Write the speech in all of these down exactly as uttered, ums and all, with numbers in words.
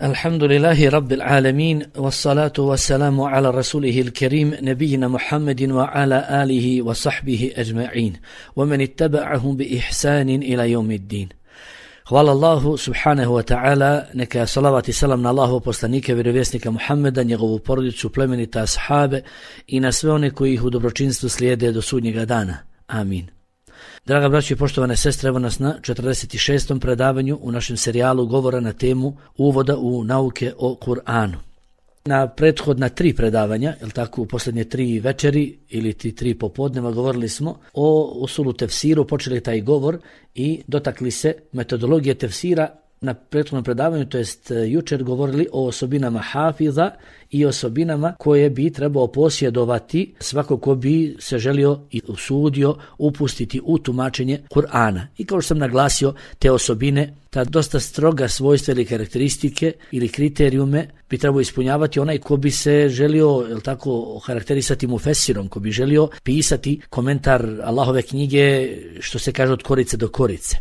Alhamdulillahi Rabbil Alamin, wassalatu wassalamu ala rasulihil kerim, nebijina Muhammedin wa ala alihi wa sahbihi ajma'in, wa man ittaba'ahum bi ihsanin ila yawmiddin. Hvala Allahu subhanahu wa ta'ala, neka salavat i salam na Allahu poslanike, vjerovjesnika Muhammeda, njegovu porodicu, plemenita ashabe i na sve one koji ih u dobročinstvu slijede do sudnjega dana. Amin. Draga braćo i poštovane sestre, evo nas na četrdeset šestom predavanju u našem serijalu govora na temu uvoda u nauke o Kur'anu. Na prethodna tri predavanja, jel tako, u posljednje tri večeri ili ti tri popodneva govorili smo o usulu tefsiru, počeli taj govor i dotakli se metodologije tefsira. Na prethodnom predavanju, to jest jučer, govorili o osobinama hafiza i osobinama koje bi trebao posjedovati svako ko bi se želio i usudio upustiti u tumačenje Kur'ana. I kao što sam naglasio, te osobine, ta dosta stroga svojstva ili karakteristike ili kriterijume bi trebao ispunjavati onaj ko bi se želio, jel tako, karakterisati mufesirom, ko bi želio pisati komentar Allahove knjige, što se kaže, od korice do korice.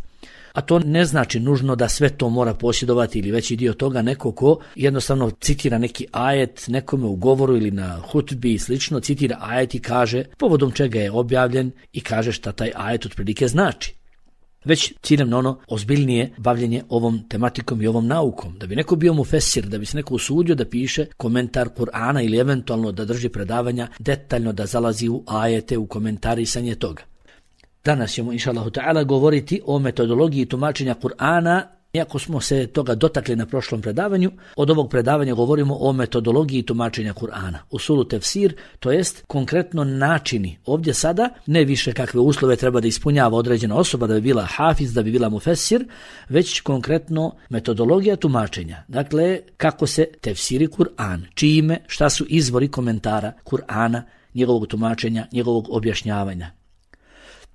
A to ne znači nužno da sve to mora posjedovati ili veći dio toga neko ko jednostavno citira neki ajet nekome u govoru ili na hutbi i slično, citira ajet i kaže povodom čega je objavljen i kaže šta taj ajet otprilike znači. Već ciljem na ono ozbiljnije bavljenje ovom tematikom i ovom naukom. Da bi neko bio mufesir, da bi se neko usudio da piše komentar Kur'ana ili eventualno da drži predavanja, detaljno da zalazi u ajete, u komentarisanje toga. Danas ćemo, inša Allahu ta'ala, govoriti o metodologiji tumačenja Kur'ana. Iako smo se toga dotakli na prošlom predavanju, od ovog predavanja govorimo o metodologiji tumačenja Kur'ana. Usulu tefsir, to jest konkretno načini. Ovdje sada ne više kakve uslove treba da ispunjava određena osoba da bi bila hafiz, da bi bila mufesir, već konkretno metodologija tumačenja. Dakle, kako se tefsiri Kur'an, čime, šta su izvori komentara Kur'ana, njegovog tumačenja, njegovog objašnjavanja.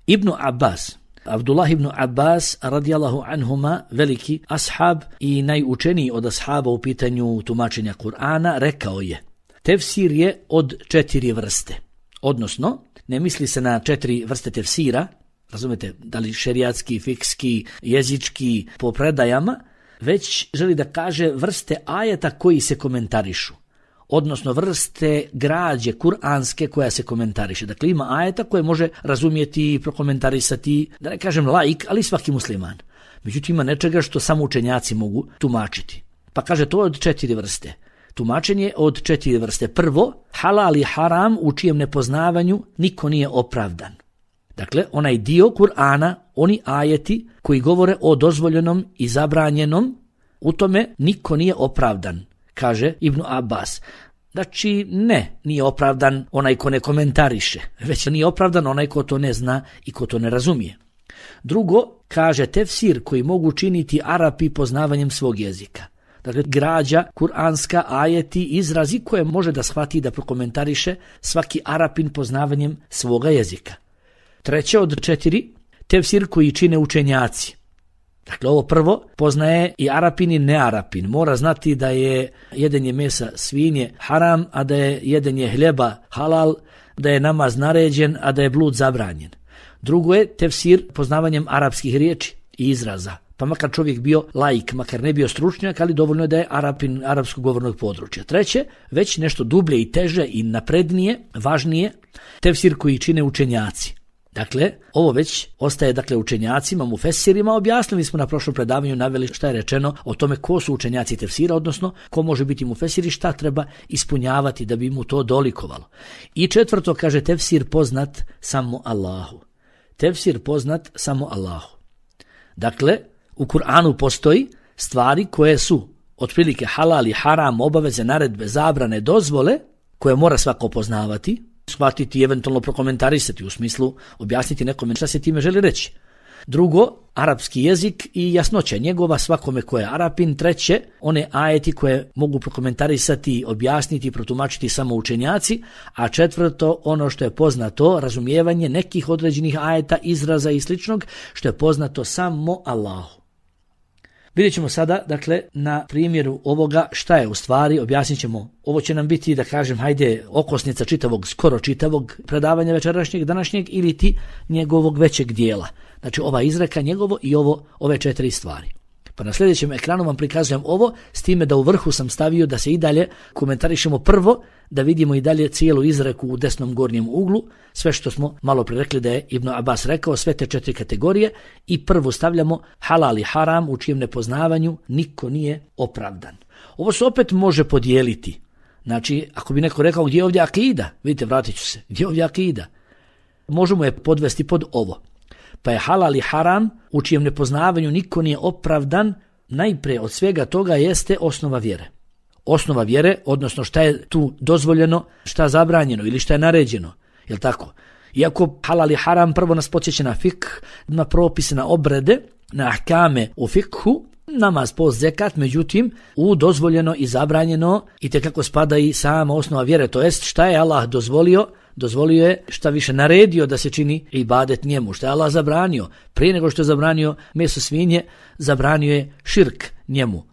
Ibn Abbas, Abdullah ibn Abbas radijallahu anhuma, veliki ashab i najučeniji od ashaba u pitanju tumačenja Kur'ana, rekao je: tefsir je od četiri vrste. Odnosno, ne misli se na četiri vrste tefsira, razumete, da li šerijatski, fikski, jezički, po predajama, već želi da kaže vrste ajeta koji se komentarišu. Odnosno vrste građe kuranske koja se komentariše. Dakle, ima ajeta koje može razumjeti i prokomentarisati, da ne kažem laik, ali svaki musliman. Međutim, ima nečega što samo učenjaci mogu tumačiti. Pa kaže to od četiri vrste. Tumačenje od četiri vrste. Prvo, halal i haram u čijem nepoznavanju niko nije opravdan. Dakle, onaj dio Kur'ana, oni ajeti koji govore o dozvoljenom i zabranjenom, u tome niko nije opravdan, kaže Ibn Abbas. Znači, ne, nije opravdan onaj ko ne komentariše, već nije opravdan onaj ko to ne zna i ko to ne razumije. Drugo, kaže tefsir koji mogu činiti Arapi poznavanjem svog jezika. Dakle, građa, kuranska, ajeti, izrazi koje može da shvati i da prokomentariše svaki Arapin poznavanjem svoga jezika. Treće od četiri, tefsir koji čine učenjaci. Dakle, ovo prvo poznaje i Arapin i nearapin. Mora znati da je jedenje mesa svinje haram, a da je jedenje hljeba halal, da je namaz naređen, a da je blud zabranjen. Drugo je tefsir poznavanjem arapskih riječi i izraza. Pa makar čovjek bio laik, makar ne bio stručnjak, ali dovoljno je da je Arapin arapskog govornog područja. Treće, već nešto dublje i teže i naprednije, važnije, tefsir koji čine učenjaci. Dakle, ovo već ostaje dakle učenjacima, mufesirima. Objasnili smo na prošlom predavanju, naveli šta je rečeno o tome ko su učenjaci tefsira, odnosno ko može biti mufesir i šta treba ispunjavati da bi mu to dolikovalo. I četvrto, kaže tefsir poznat samo Allahu. Tefsir poznat samo Allahu. Dakle, u Kur'anu postoji stvari koje su otprilike halal i haram, obaveze, naredbe, zabrane, dozvole, koje mora svako poznavati, shvatiti i eventualno prokomentarisati, u smislu objasniti nekome šta se time želi reći. Drugo, arapski jezik i jasnoća njegova svakome ko je Arapin. Treće, one ajeti koje mogu prokomentarisati, objasniti i protumačiti samo učenjaci. A četvrto, ono što je poznato, razumijevanje nekih određenih ajeta, izraza i sličnog, što je poznato samo Allahu. Vidjet ćemo sada, dakle, na primjeru ovoga šta je u stvari, objasnit ćemo. Ovo će nam biti, da kažem, hajde, okosnica čitavog, skoro čitavog predavanja večerašnjeg, današnjeg ili ti njegovog većeg dijela. Znači, ova izreka njegovo i ovo, ove četiri stvari. Pa na sljedećem ekranu vam prikazujem ovo, s time da u vrhu sam stavio da se i dalje komentarišemo prvo, da vidimo i dalje cijelu izreku u desnom gornjem uglu, sve što smo malo prirekli da je Ibn Abbas rekao, sve te četiri kategorije, i prvo stavljamo halal i haram u čijem nepoznavanju niko nije opravdan. Ovo se opet može podijeliti. Znači, ako bi neko rekao gdje je ovdje akida, vidite, vratit ću se, gdje je ovdje akida, možemo je podvesti pod ovo. Pa je halal i haram u čijem nepoznavanju niko nije opravdan, najprije od svega toga jeste osnova vjere. Osnova vjere, odnosno šta je tu dozvoljeno, šta je zabranjeno ili šta je naređeno, jel tako? Iako halal i haram prvo nas podsjeća na fik, na propise, na obrede, na ahkame u fikhu, namaz, post, zekat, međutim u dozvoljeno i zabranjeno i tekako spada i sama osnova vjere, to jest šta je Allah dozvolio, dozvolio je, šta više naredio da se čini ibadet njemu, šta je Allah zabranio, prije nego što je zabranio meso svinje, zabranio je širk njemu.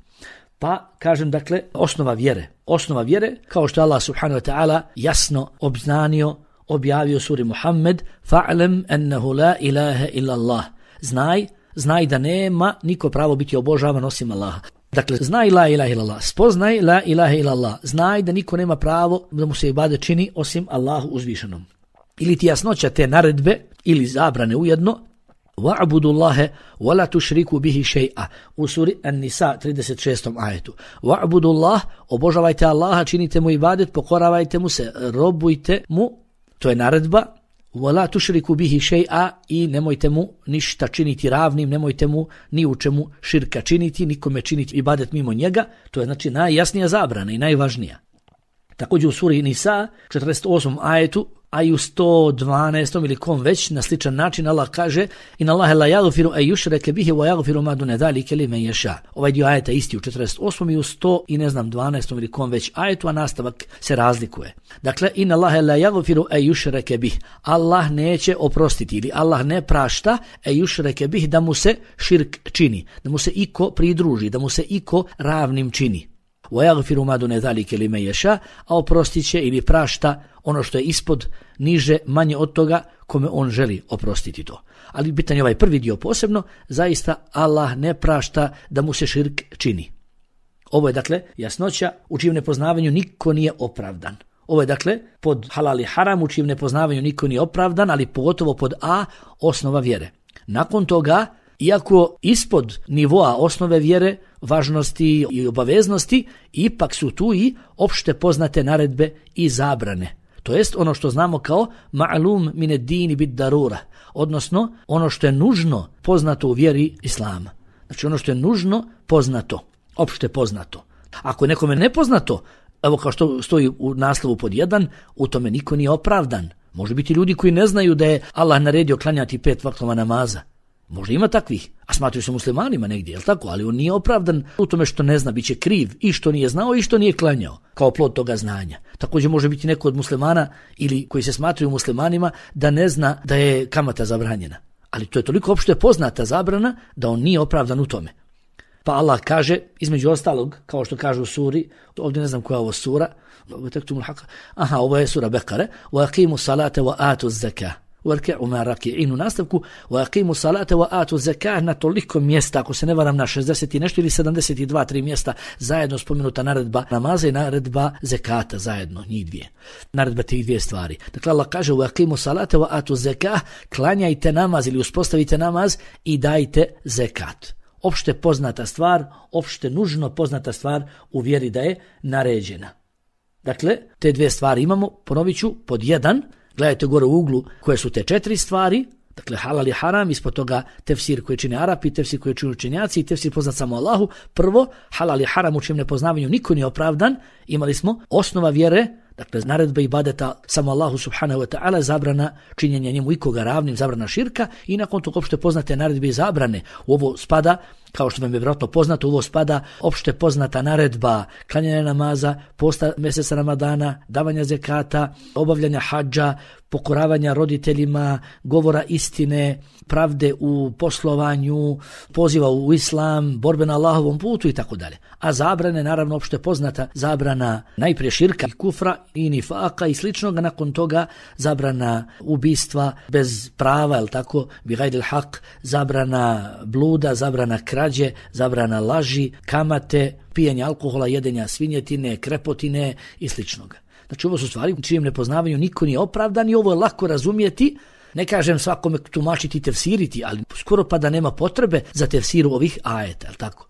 Pa kažem, dakle, osnova vjere, osnova vjere kao što Allah subhanahu wa ta'ala jasno obznanio, objavio suri Muhammed, fa'lem ennehu la ilaha illa Allah, znaj Znaj da nema niko pravo biti obožavan osim Allaha. Dakle, znaj la ilaha illallah, spoznaj la ilaha illallah, znaj da niko nema pravo da mu se ibadet čini osim Allahu uzvišenom. Ili ti jasnoća te naredbe ili zabrane ujedno, wa'budu Allahe wa la tushriku bihi shay'a, u suri An-Nisa trideset šestom ajetu. Wa'budu Allah, obožavajte Allaha, činite mu ibadet, pokoravajte mu se, robujte mu, to je naredba. Wala tushriku bihi shay'a, i nemojte mu ništa činiti ravnim, nemojte mu ni u čemu širka činiti, nikome činiti ibadet mimo njega, to je znači najjasnija zabrana i najvažnija. Također u suri Nisa četrdeset osmom ajetu, a i u sto dvanaestom ili kom već na sličan način Allah kaže: "Inna Allaha la yaghfiru an yushraka bihi wa yaghfiru ma duna zalika liman yasha." Ovaj dio ajeta isti u četrdeset osmom i u sto i ne znam dvanaestom ili kom već ajetu, a nastavak se razlikuje. Dakle, "Inna Allaha la yaghfiru an yushraka bihi." Allah neće oprostiti ili Allah ne prašta an yushraka bihi, da mu se širk čini, da mu se iko pridruži, da mu se iko ravnim čini. وَيَغْفِرُ مَا دُونَ ذَلِكَ لِمَنْ يَشَاءُ, a oprostit će ili prašta ono što je ispod, niže, manje od toga kome on želi oprostiti to. Ali bitan je ovaj prvi dio posebno, zaista Allah ne prašta da mu se širk čini. Ovo je dakle jasnoća u čijem nepoznavanju niko nije opravdan. Ovo je dakle pod halal i haram u čijem nepoznavanju niko nije opravdan, ali pogotovo pod A, osnova vjere. Nakon toga, iako ispod nivoa osnove vjere, važnosti i obaveznosti, ipak su tu i opšte poznate naredbe i zabrane. To jest ono što znamo kao ma'lum min ad-din bid darura, odnosno ono što je nužno poznato u vjeri Islama. Znači ono što je nužno poznato, opšte poznato. Ako je nekome nepoznato, evo kao što stoji u naslovu pod jedan, u tome niko nije opravdan. Može biti ljudi koji ne znaju da je Allah naredio klanjati pet vaktova namaza. Možda ima takvih, a smatraju se muslimanima negdje, jel tako? Ali on nije opravdan u tome što ne zna, bit će kriv i što nije znao i što nije klanjao, kao plod toga znanja. Također može biti neko od muslimana ili koji se smatraju muslimanima da ne zna da je kamata zabranjena. Ali to je toliko opšte poznata zabrana da on nije opravdan u tome. Pa Allah kaže, između ostalog, kao što kaže u suri, ovdje ne znam koja je ovo sura, aha, ovo je sura Bekare, وَاقِيمُوا الصَّلَاةَ وَآتُوا الزَّكَاةَ وَرْكَعُوا مَعَ الرَّاكِعِينَ, u nastavku وَاقِيمُوا الصَّلَاةَ وَآتُوا الزَّكَاةَ, na toliko mjesta, ako se ne varam na šezdeset i nešto ili sedamdeset dva, tri mjesta zajedno spomenuta naredba namaza i naredba zekata zajedno, njih dvije. Naredba tih dvije stvari. Dakle, Allah kaže وَاقِيمُوا الصَّلَاةَ وَآتُوا الزَّكَاةَ, klanjajte namaz ili uspostavite namaz i dajte zekat. Opšte poznata stvar, opšte nužno poznata stvar u vjeri da je naređena. Dakle, te dvije stvari imamo, ponovit ću, pod jedan, gledajte gore u uglu koje su te četiri stvari, dakle halal i haram, ispod toga tefsir koji čine Arapi, tefsir koji čine učenjaci i tefsir poznat samo Allahu. Prvo, halal i haram u čijem nepoznavanju niko nije opravdan, imali smo osnova vjere, dakle naredba ibadeta samo Allahu subhanahu wa ta'ala, zabrana činjenja njemu ikoga ravnim, zabrana širka, i nakon toga opšte poznate naredbe i zabrane. U ovo spada, kao što vam je vjerojatno poznato, u ovo spada opšte poznata naredba klanjanja namaza, posta mjeseca Ramadana, davanja zekata, obavljanja hadža, pokoravanja roditeljima, govora istine, pravde u poslovanju, poziva u islam, borbe na Allahovom putu i tako dalje. A zabrane, naravno, opšte poznata zabrana najprije širka i kufra i nifaka i sličnoga, nakon toga zabrana ubistva bez prava, jel tako, bi gajdil hak, zabrana bluda, zabrana krađe, krađe, zabrana laži, kamate, pijenja alkohola, jedenja svinjetine, krepotine i sličnoga. Znači ovo su stvari u čijem nepoznavanju niko nije opravdan i ovo je lako razumjeti. Ne kažem svakome tumačiti i tefsiriti, ali skoro pa da nema potrebe za tefsiru ovih ajeta, je li tako?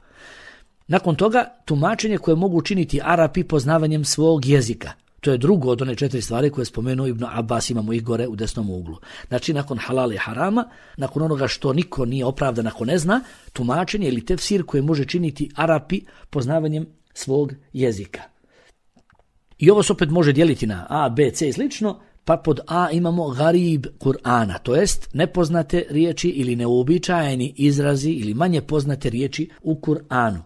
Nakon toga, tumačenje koje mogu učiniti Arapi poznavanjem svog jezika. To je drugo od one četiri stvari koje je spomenuo Ibn Abbas, imamo ih gore u desnom uglu. Znači, nakon halala i harama, nakon onoga što niko nije opravdan ako ne zna, tumačenje ili tefsir koje može činiti Arapi poznavanjem svog jezika. I ovo se opet može dijeliti na A, B, C i slično, pa pod A imamo garib Kur'ana, to jest nepoznate riječi ili neuobičajeni izrazi ili manje poznate riječi u Kur'anu.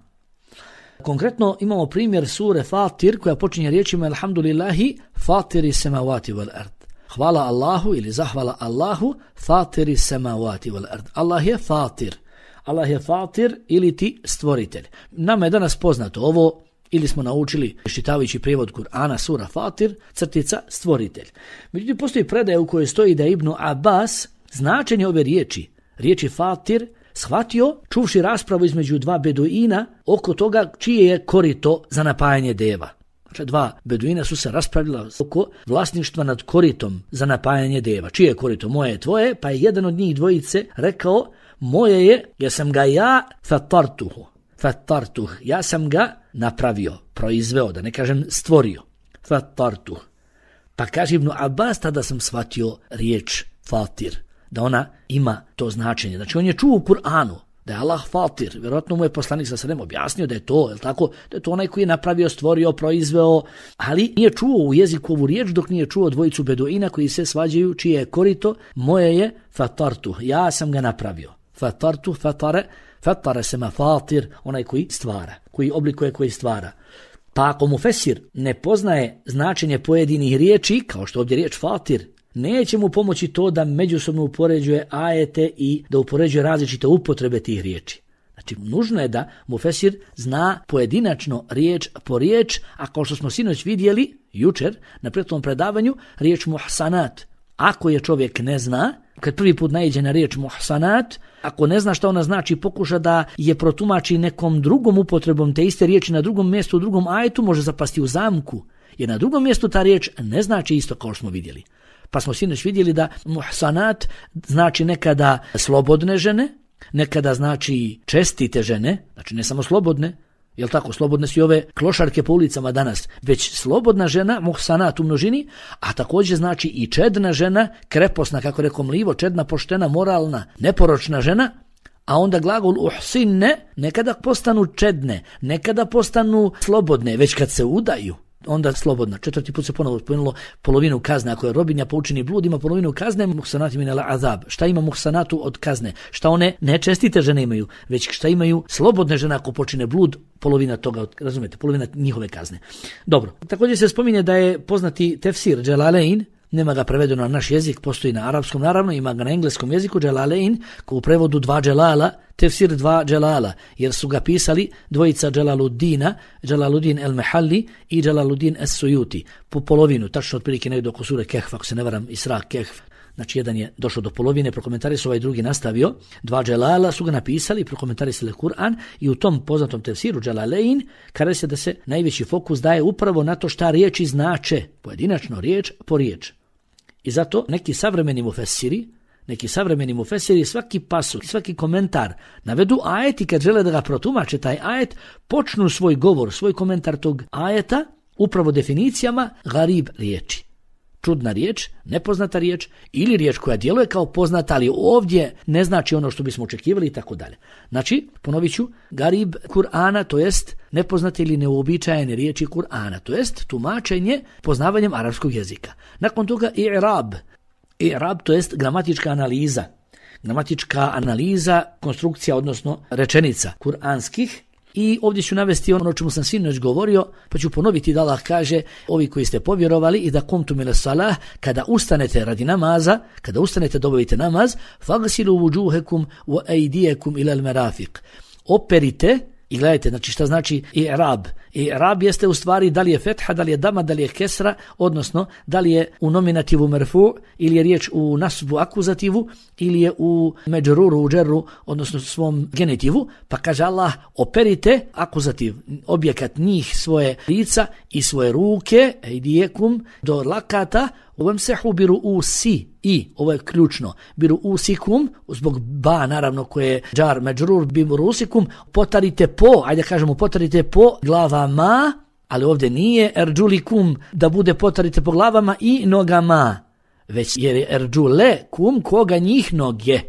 Konkretno imamo primjer sure Fatir koja počinje riječima Alhamdulillahi fatiri semavati wal ard. Hvala Allahu ili zahvala Allahu fatiri semavati wal ard. Allah je fatir. Allah je fatir ili ti stvoritelj. Nama je danas poznato ovo ili smo naučili čitavajući prijevod Kur'ana sura Fatir, crtica stvoritelj. Međutim, postoji predaja u kojoj stoji da je Ibn Abbas značenje ove riječi, riječi Fatir, shvatio čuvši raspravu između dva beduina oko toga čije je korito za napajanje deva. Znači, dva beduina su se raspravila oko vlasništva nad koritom za napajanje deva. Čije je korito? Moje je, tvoje, pa je jedan od njih dvojice rekao moje je, jer sam ga ja fatartuhu. Fatartuh, ja sam ga napravio, proizveo, da ne kažem stvorio. Fatartuh. Pa kaže Ibn Abbas, tada sam shvatio riječ fatir, da ona ima to značenje. Znači on je čuo u Kur'anu da je Allah fatir, vjerojatno mu je poslanik sa sredem objasnio da je to, je tako, da je to onaj koji je napravio, stvorio, proizveo, ali nije čuo u jeziku ovu riječ dok nije čuo dvojicu beduina koji se svađaju čije je korito, moje je fatartuh, ja sam ga napravio. Fatartuh, fatare, fatare sema fatir, onaj koji stvara, koji oblikuje, koji stvara. Pa ako mu fesir ne poznaje značenje pojedinih riječi, kao što ovdje riječ fatir, neće mu pomoći to da međusobno upoređuje ajete i da upoređuje različite upotrebe tih riječi. Znači, nužno je da mu fesir zna pojedinačno riječ po riječ, a kao što smo sinoć vidjeli, jučer, na prethodnom predavanju, riječ muhsanat. Ako je čovjek ne zna, kad prvi put naiđe na riječ muhsanat, ako ne zna šta ona znači, pokuša da je protumači nekom drugom upotrebom te iste riječi na drugom mjestu, u drugom ajetu, može zapasti u zamku, jer na drugom mjestu ta riječ ne znači isto kao što smo vidjeli. Pa smo sinoć vidjeli da muhsanat znači nekada slobodne žene, nekada znači čestite žene, znači ne samo slobodne, jel tako, slobodne su i ove klošarke po ulicama danas, već slobodna žena, muhsanat u množini, a također znači i čedna žena, kreposna, kako rekao Mlivo, čedna, poštena, moralna, neporočna žena, a onda glagol uhsinne nekada postanu čedne, nekada postanu slobodne, već kad se udaju, onda slobodna. Četvrti put se ponovo spomenulo polovinu kazne. Ako je robinja pa učini blud, ima polovinu kazne, muhsanati min al-azab. Šta ima muhsanatu od kazne? Šta one nečestite žene imaju, već šta imaju slobodne žene ako počine blud, polovina toga, razumete, polovina njihove kazne. Dobro. Također se spominje da je poznati tefsir Dželalein, nema ga prevedeno na naš jezik, postoji na arapskom naravno, ima ga na engleskom jeziku, Dželalein, ko u prevodu dva dželala, tefsir dva dželala, jer su ga pisali dvojica Dželaluddina, Dželaluddin el-Mehalli i Dželaluddin es-Sujuti, po polovinu, tačno otprilike negdje oko sure Kehf, ako se ne varam, Isra, Kehf. Znači, jedan je došao do polovine, prokomentarisao, ovaj drugi nastavio. Dva dželala su ga napisali, prokomentarisali Kur'an i u tom poznatom tefsiru Dželalein kaže se da se najveći fokus daje upravo na to šta riječi znače, pojedinačno riječ po riječ. I zato neki savremeni mufesiri, neki savremeni mufesiri svaki pasus, svaki komentar navedu ajet i kad žele da ga protumače taj ajet, počnu svoj govor, svoj komentar tog ajeta upravo definicijama garib riječi. Čudna riječ, nepoznata riječ ili riječ koja djeluje kao poznata, ali ovdje ne znači ono što bismo očekivali i tako dalje. Znači, ponovit ću, garib Kur'ana, to jest nepoznate ili neuobičajene riječi Kur'ana, to jest tumačenje poznavanjem arapskog jezika. Nakon toga i'rab. I'rab, to jest gramatička analiza. Gramatička analiza, konstrukcija, odnosno rečenica kur'anskih. I ovdje ću navesti ono o čemu sam sinoć govorio, pa ću ponoviti da Allah kaže, ovi koji ste povjerovali i da kumtum ila salah, kada ustanete radi namaza, kada ustanete da obavite namaz, fagsilu vujuhekum wa aydiyakum ila al-marafiq. Operite I gledajte, znači šta znači i'rab? I'rab jeste u stvari da li je fetha, da li je dama, da li je kesra, odnosno da li je u nominativu merfu ili je riječ u nasbu akuzativu ili je u međruru, u džerru, odnosno svom genitivu. Pa kaže Allah, operite akuzativ, objekat njih, svoje lica i svoje ruke, ejdijekum, do lakata, Vamsehu biru usi i, ovo je ključno, biru usikum, zbog ba naravno koje je džar međrur, biru usikum, potarite po, ajde kažemo potarite po glavama, ali ovdje nije erđulikum da bude potarite po glavama i nogama, već jer je erđule kum koga njih noge.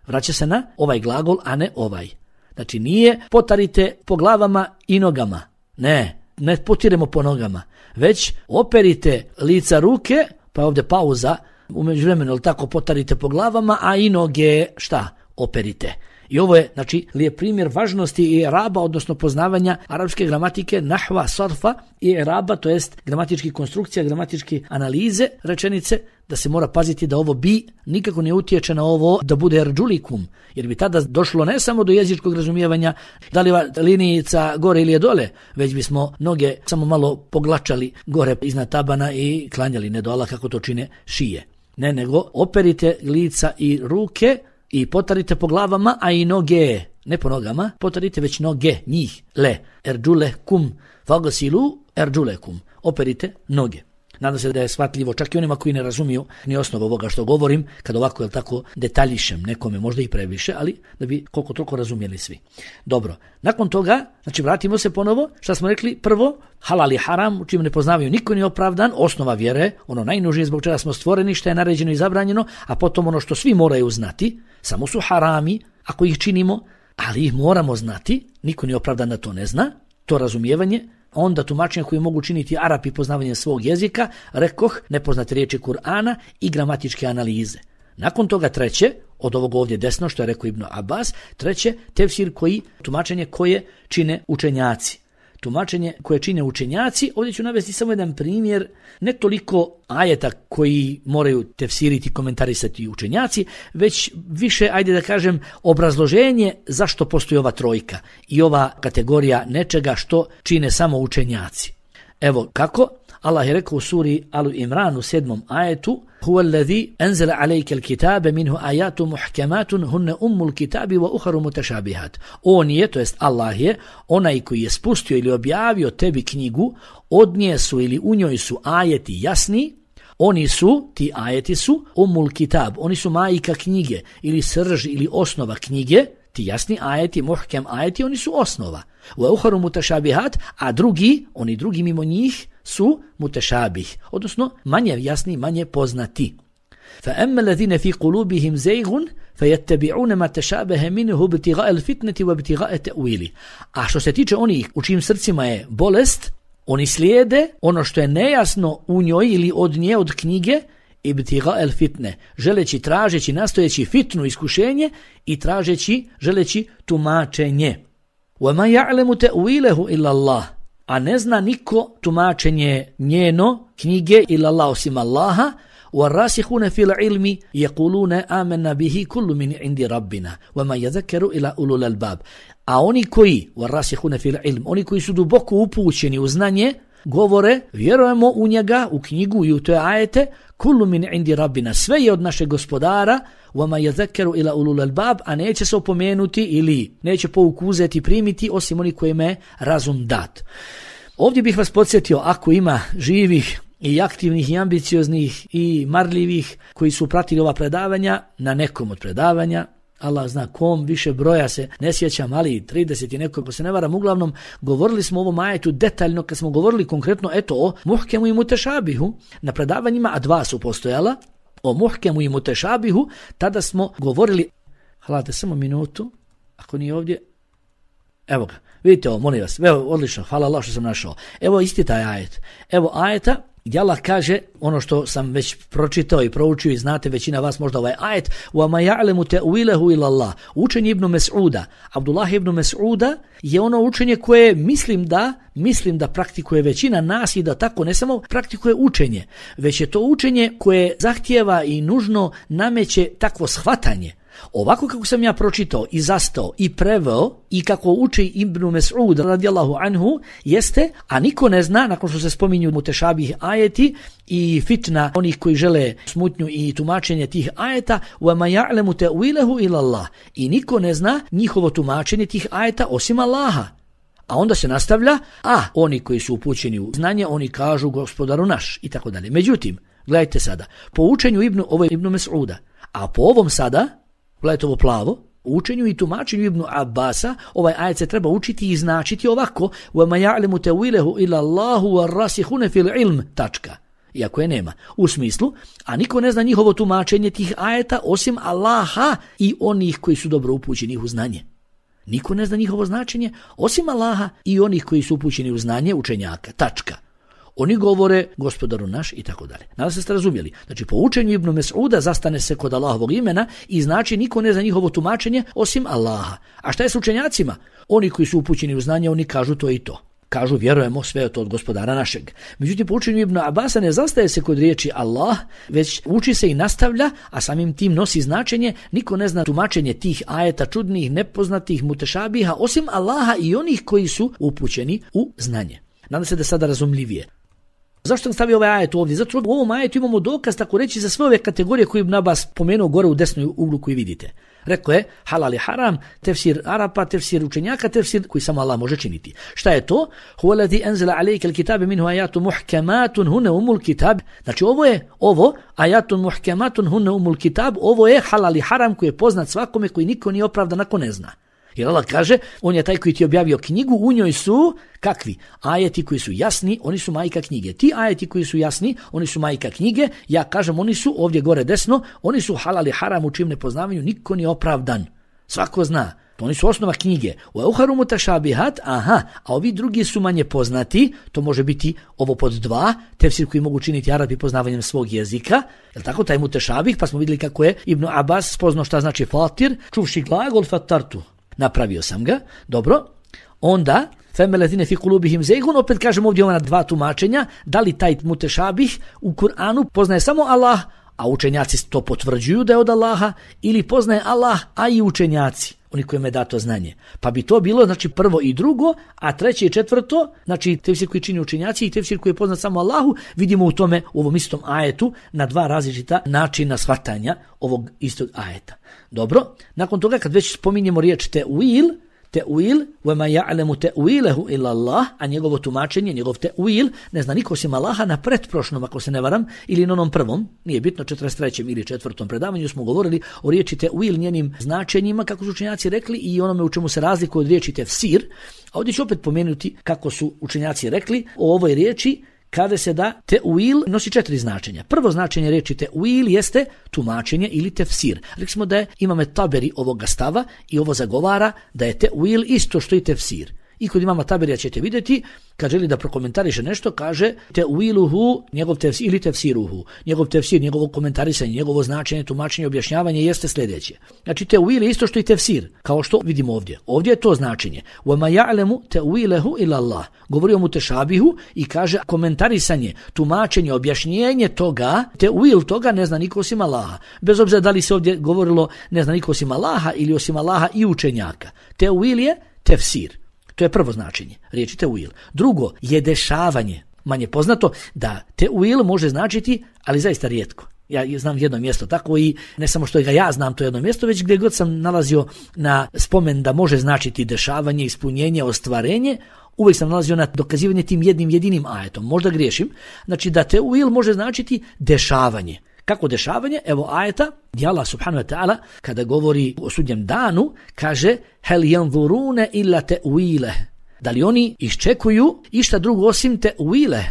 Vraća se na ovaj glagol, a ne ovaj. Znači nije potarite po glavama i nogama, ne, ne potiremo po nogama, već operite lica ruke, pa ovdje pauza, u međuvremenu tako potarite po glavama, a i noge šta? Operite. I ovo je, znači, lijep primjer važnosti i'raba, odnosno poznavanja arapske gramatike, nahva, sarfa i i'raba, to jest gramatički konstrukcija, gramatički analize rečenice, da se mora paziti da ovo bi nikako ne utječe na ovo da bude erđulikum, jer bi tada došlo ne samo do jezičkog razumijevanja da li linijica gore ili je dole, već bismo noge samo malo poglačali gore iznad tabana i klanjali ne do Allah kako to čine šije. Ne, nego operite lica i ruke i potarite po glavama, a i noge, ne po nogama, potarite već noge, njih, le, erđule kum, fagasilu erđule kum, operite noge. Nadam se da je shvatljivo čak i onima koji ne razumiju ni osnovu ovoga što govorim, kad ovako je tako detaljišem nekome, možda i previše, ali da bi koliko toliko razumjeli svi. Dobro, nakon toga, znači vratimo se ponovo, šta smo rekli, prvo, halal i haram, u čim ne poznavaju niko ni opravdan, osnova vjere, ono najnužnije zbog čega smo stvoreni, što je naređeno i zabranjeno, a potom ono što svi moraju znati, samo su harami, ako ih činimo, ali ih moramo znati, niko ni opravdan da to ne zna, to razumijevanje, onda tumačenja koje mogu činiti Arapi poznavanjem svog jezika, rekoh, nepoznate riječi Kur'ana i gramatičke analize. Nakon toga treće, od ovog ovdje desno, što je rekao Ibn Abbas, treće, tefsir koji, tumačenje koje čine učenjaci. Tumačenje koje čine učenjaci, ovdje ću navesti samo jedan primjer, ne toliko ajeta koji moraju tefsiriti, komentarisati učenjaci, već više, ajde da kažem, obrazloženje zašto postoji ova trojka i ova kategorija nečega što čine samo učenjaci. Evo kako, Allah je rekao u suri Alu Imran u sedmom ajetu, Huwa alladhi anzala alayka alkitaba minhu ayatun muhkamatun hunna ummul kitabi wa ukharu mutashabihat. On je, to jest Allah je, onaj koji je spustio ili objavio tebi knjigu, od nje su ili u njoj su ajeti jasni, oni su, ti ajeti su, ummul kitab, oni su majka knjige, ili srž ili osnova knjige, ti jasni ajeti, muhkem ajeti, oni su osnova. Wa ukharu mutashabihat, a drugi, oni drugi mimo njih, su mutashabih, odnosno manje jasni, manje poznati. فَأَمَّا الَّذِينَ فِي قُلُوبِهِمْ زَيْغٌ فَيَتَّبِعُونَ مَا تَشَابَهَ مِنْهُ ابْتِغَاءَ الْفِتْنَةِ وَابْتِغَاءَ تَأْوِيلِهِ. A što se tiče onih u čijim srcima je bolest, oni slijede ono što je nejasno u njoj ili od nje, od knjige, ibtiga el fitne, želeći, tražeći, nastojeći fitnu, iskušenje i tražeći, želeći tumačenje. وَمَا يَعْلَمُ تَأْوِيلَهُ إِلَّا اللَّهِ. A ne zna niko tumačenje njeno, knjige, ila Allah osim Allaha, وَالرَّاسِخُونَ فِي الْعِلْمِ يَقُولُونَ آمَنَّا بِهِ كُلُّ مِنْ عِنْدِ رَبِّنَا وَمَا يَذَكَّرُ إِلَا أُولُو الْأَلْبَابِ. A oni koji, وَالرَّاسِخُونَ فِي الْعِلْمِ, oni koji su duboko upućeni u znanje, govore, vjerujemo u njega, u knjigu i u te ajete, kullu min indi rabbina, sve je od našeg gospodara, وَمَا يَذَكَّرُ إِلَا أُولُو الْأَلْبَابِ, a neće se opomenuti ili neće pouku uzeti, primiti, osim oni kojima je razum dat. Ovdje bih vas podsjetio, ako ima živih i aktivnih i ambicioznih i marljivih koji su pratili ova predavanja, na nekom od predavanja, Allah zna kom, više broja se ne sjećam, ali trideset i neko, ko se ne varam, uglavnom govorili smo o ovom ajetu detaljno kad smo govorili konkretno eto o muhkemu i mutešabihu na predavanjima, a dva su postojala, o muhkemu i mutešabihu, tada smo govorili, hvalate samo minutu, ako nije ovdje, evo ga, vidite ovo, molim vas, evo, odlično, hvala Allah što sam našao, evo isti taj ajet, evo ajeta, gdje Allah kaže ono što sam već pročitao i proučio i znate većina vas možda ovaj ajet وَمَا يَعْلَمُ تَأْوِيلَهُ إِلَّا اللَّهِ. Učenje Ibn Mes'uda, Abdullah ibn Mes'uda je ono učenje koje mislim da mislim da praktikuje većina nas i da tako ne samo praktikuje učenje, već je to učenje koje zahtijeva i nužno nameće takvo shvatanje. Ovako kako sam ja pročitao i zastao i preveo i kako uči Ibn Mes'ud radijallahu anhu jeste, a niko ne zna, nakon što se spominju mutešabih ajeti i fitna onih koji žele smutnju i tumačenje tih ajeta, وَمَا يَعْلَمُ تَأْوِيلَهُ إِلَّا اللَّهِ, i niko ne zna njihovo tumačenje tih ajeta osim Allaha. A onda se nastavlja, a oni koji su upućeni u znanje, oni kažu gospodaru naš i tako dalje. Međutim, gledajte sada, po učenju Ibnu, ovo je Ibn Mes'uda, a po ovom sada, gledajte ovo plavo, u učenju i tumačenju Ibnu Abbasa, ovaj ajet se treba učiti i značiti ovako, وَمَا يَعْلَمُ تَأْوِيلَهُ إِلَّا اللَّهُ وَالرَّاسِخُونَ فِي الْعِلْمِ, tačka. Iako je nema. U smislu, a niko ne zna njihovo tumačenje tih ajeta osim Allaha i onih koji su dobro upućeni u znanje. Niko ne zna njihovo značenje osim Allaha i onih koji su upućeni u znanje učenjaka. Tačka. Oni govore gospodaru naš i tako dalje. Nadam se ste razumjeli. Znači po učenju Ibn Mes'uda zastane se kod Allahovog imena i znači niko ne zna njihovo tumačenje osim Allaha. A šta je s učenjacima? Oni koji su upućeni u znanje, oni kažu to i to. Kažu vjerujemo sve to od gospodara našeg. Međutim, po učenju Ibn Abasa ne zastaje se kod riječi Allah, već uči se i nastavlja, a samim tim nosi značenje. Niko ne zna tumačenje tih ajeta čudnih, nepoznatih, mutešabiha, osim Allaha i onih koji su upućeni u znanje. Nadam se da je sada razumljivije. Zašto sam stavio ovaj ajet ovdje? Zato u ovom ajetu imamo dokaz, tako reći, za sve ove kategorije koje Ibn Abbas pomenuo gore u desnoj uglu koji vidite. Rekao je halal i haram, tefsir Arapa, tefsir učenjaka, tefsir koji samo Allah može činiti. Šta je to? Huwa allazi anzala alayka al-kitaba minhu ayatun muhkamatun hunna umul kitab. Znači ovo je ovo ayatun muhkamatun hunna umul kitab, ovo je halal i haram koji je poznat svakome, koji niko nije opravdan ako ne zna. Jer Allah kaže, on je taj koji ti objavio knjigu, u njoj su kakvi? Ajeti koji su jasni, oni su majka knjige. Ti ajeti koji su jasni, oni su majka knjige. Ja kažem, oni su ovdje gore desno, oni su halal i haram u čijem nepoznavanju niko nije opravdan. Svako zna. Oni su osnova knjige. U euharu mutashabihat, aha, a ovi drugi su manje poznati, to može biti ovo pod dva, tefsir koji mogu činiti Arapi poznavanjem svog jezika, je tako, taj mutashabih, pa smo vidjeli kako je Ibn Abbas spoznao šta znači fatir, čuvši glagol fatartu. Napravio sam ga, dobro, onda femeletine fi kulubihim zeigun, opet kažem ovdje ona dva tumačenja, da li taj mutešabih u Kur'anu poznaje samo Allah, a učenjaci to potvrđuju da je od Allaha, ili poznaje Allah, a i učenjaci, oni kojima je dato znanje. Pa bi to bilo, znači, prvo i drugo, a treće i četvrto, znači tefsir koji čini učenjaci i tefsir koji je poznat samo Allahu, vidimo u tome, u ovom istom ajetu, na dva različita načina shvatanja ovog istog ajeta. Dobro, nakon toga kad već spominjemo riječ te'uil, te'uil, وَمَا يَعْلَمُ تَأْوِيلَهُ إِلَّا اللَّهُ, a njegovo tumačenje, njegov te'uil, ne zna niko osim Allaha, na pretprošlom, ako se ne varam, ili na onom prvom, nije bitno, četrdeset trećem ili četvrtom predavanju smo govorili o riječi te'uil, njenim značenjima, kako su učenjaci rekli, i onome u čemu se razlikuje od riječi tefsir. A ovdje ću opet pomenuti kako su učenjaci rekli o ovoj riječi, kada se da te'uil nosi četiri značenja. Prvo značenje riječi te'uil jeste tumačenje ili tefsir. Rekli smo da je imame Taberi ovoga stava i ovo zagovara da je te'uil isto što i tefsir. I kod imama Taberija ćete vidjeti, kad želi da prokomentariše nešto, kaže te'uiluhu, njegov tefsir, ili tefsiruhu. Njegov tefsir, njegovo komentarisanje, njegovo značenje, tumačenje, objašnjavanje jeste sljedeće. Znači te'uil je isto što i tefsir, kao što vidimo ovdje. Ovdje je to značenje. وَمَا يَعْلَمُ تَأْوِيلَهُ إِلَّا اللَّهُ. Govori o mutešabihu i kaže komentarisanje, tumačenje, objašnjenje toga, te'uil toga ne zna niko osim Allaha. Bez obzira da li se ovdje govorilo ne zna niko osim Allaha ili osim Allaha i učenjaka. Te'uil je tefsir. To je prvo značenje riječi te'uil. Drugo je dešavanje. Manje poznato da te'uil može značiti, ali zaista rijetko. Ja znam jedno mjesto tako i ne samo što ga ja znam to jedno mjesto, već gdje god sam nalazio na spomen da može značiti dešavanje, ispunjenje, ostvarenje, uvijek sam nalazio na dokazivanje tim jednim jedinim ajetom. Možda griješim. Znači da te'uil može značiti dešavanje. Kako dešavanje? Evo ajeta gdje Allah subhanahu wa ta'ala kada govori o sudnjem danu kaže hel yanzuruna illa ta'wile. Da li oni iščekuju išta drugo osim ta'wile,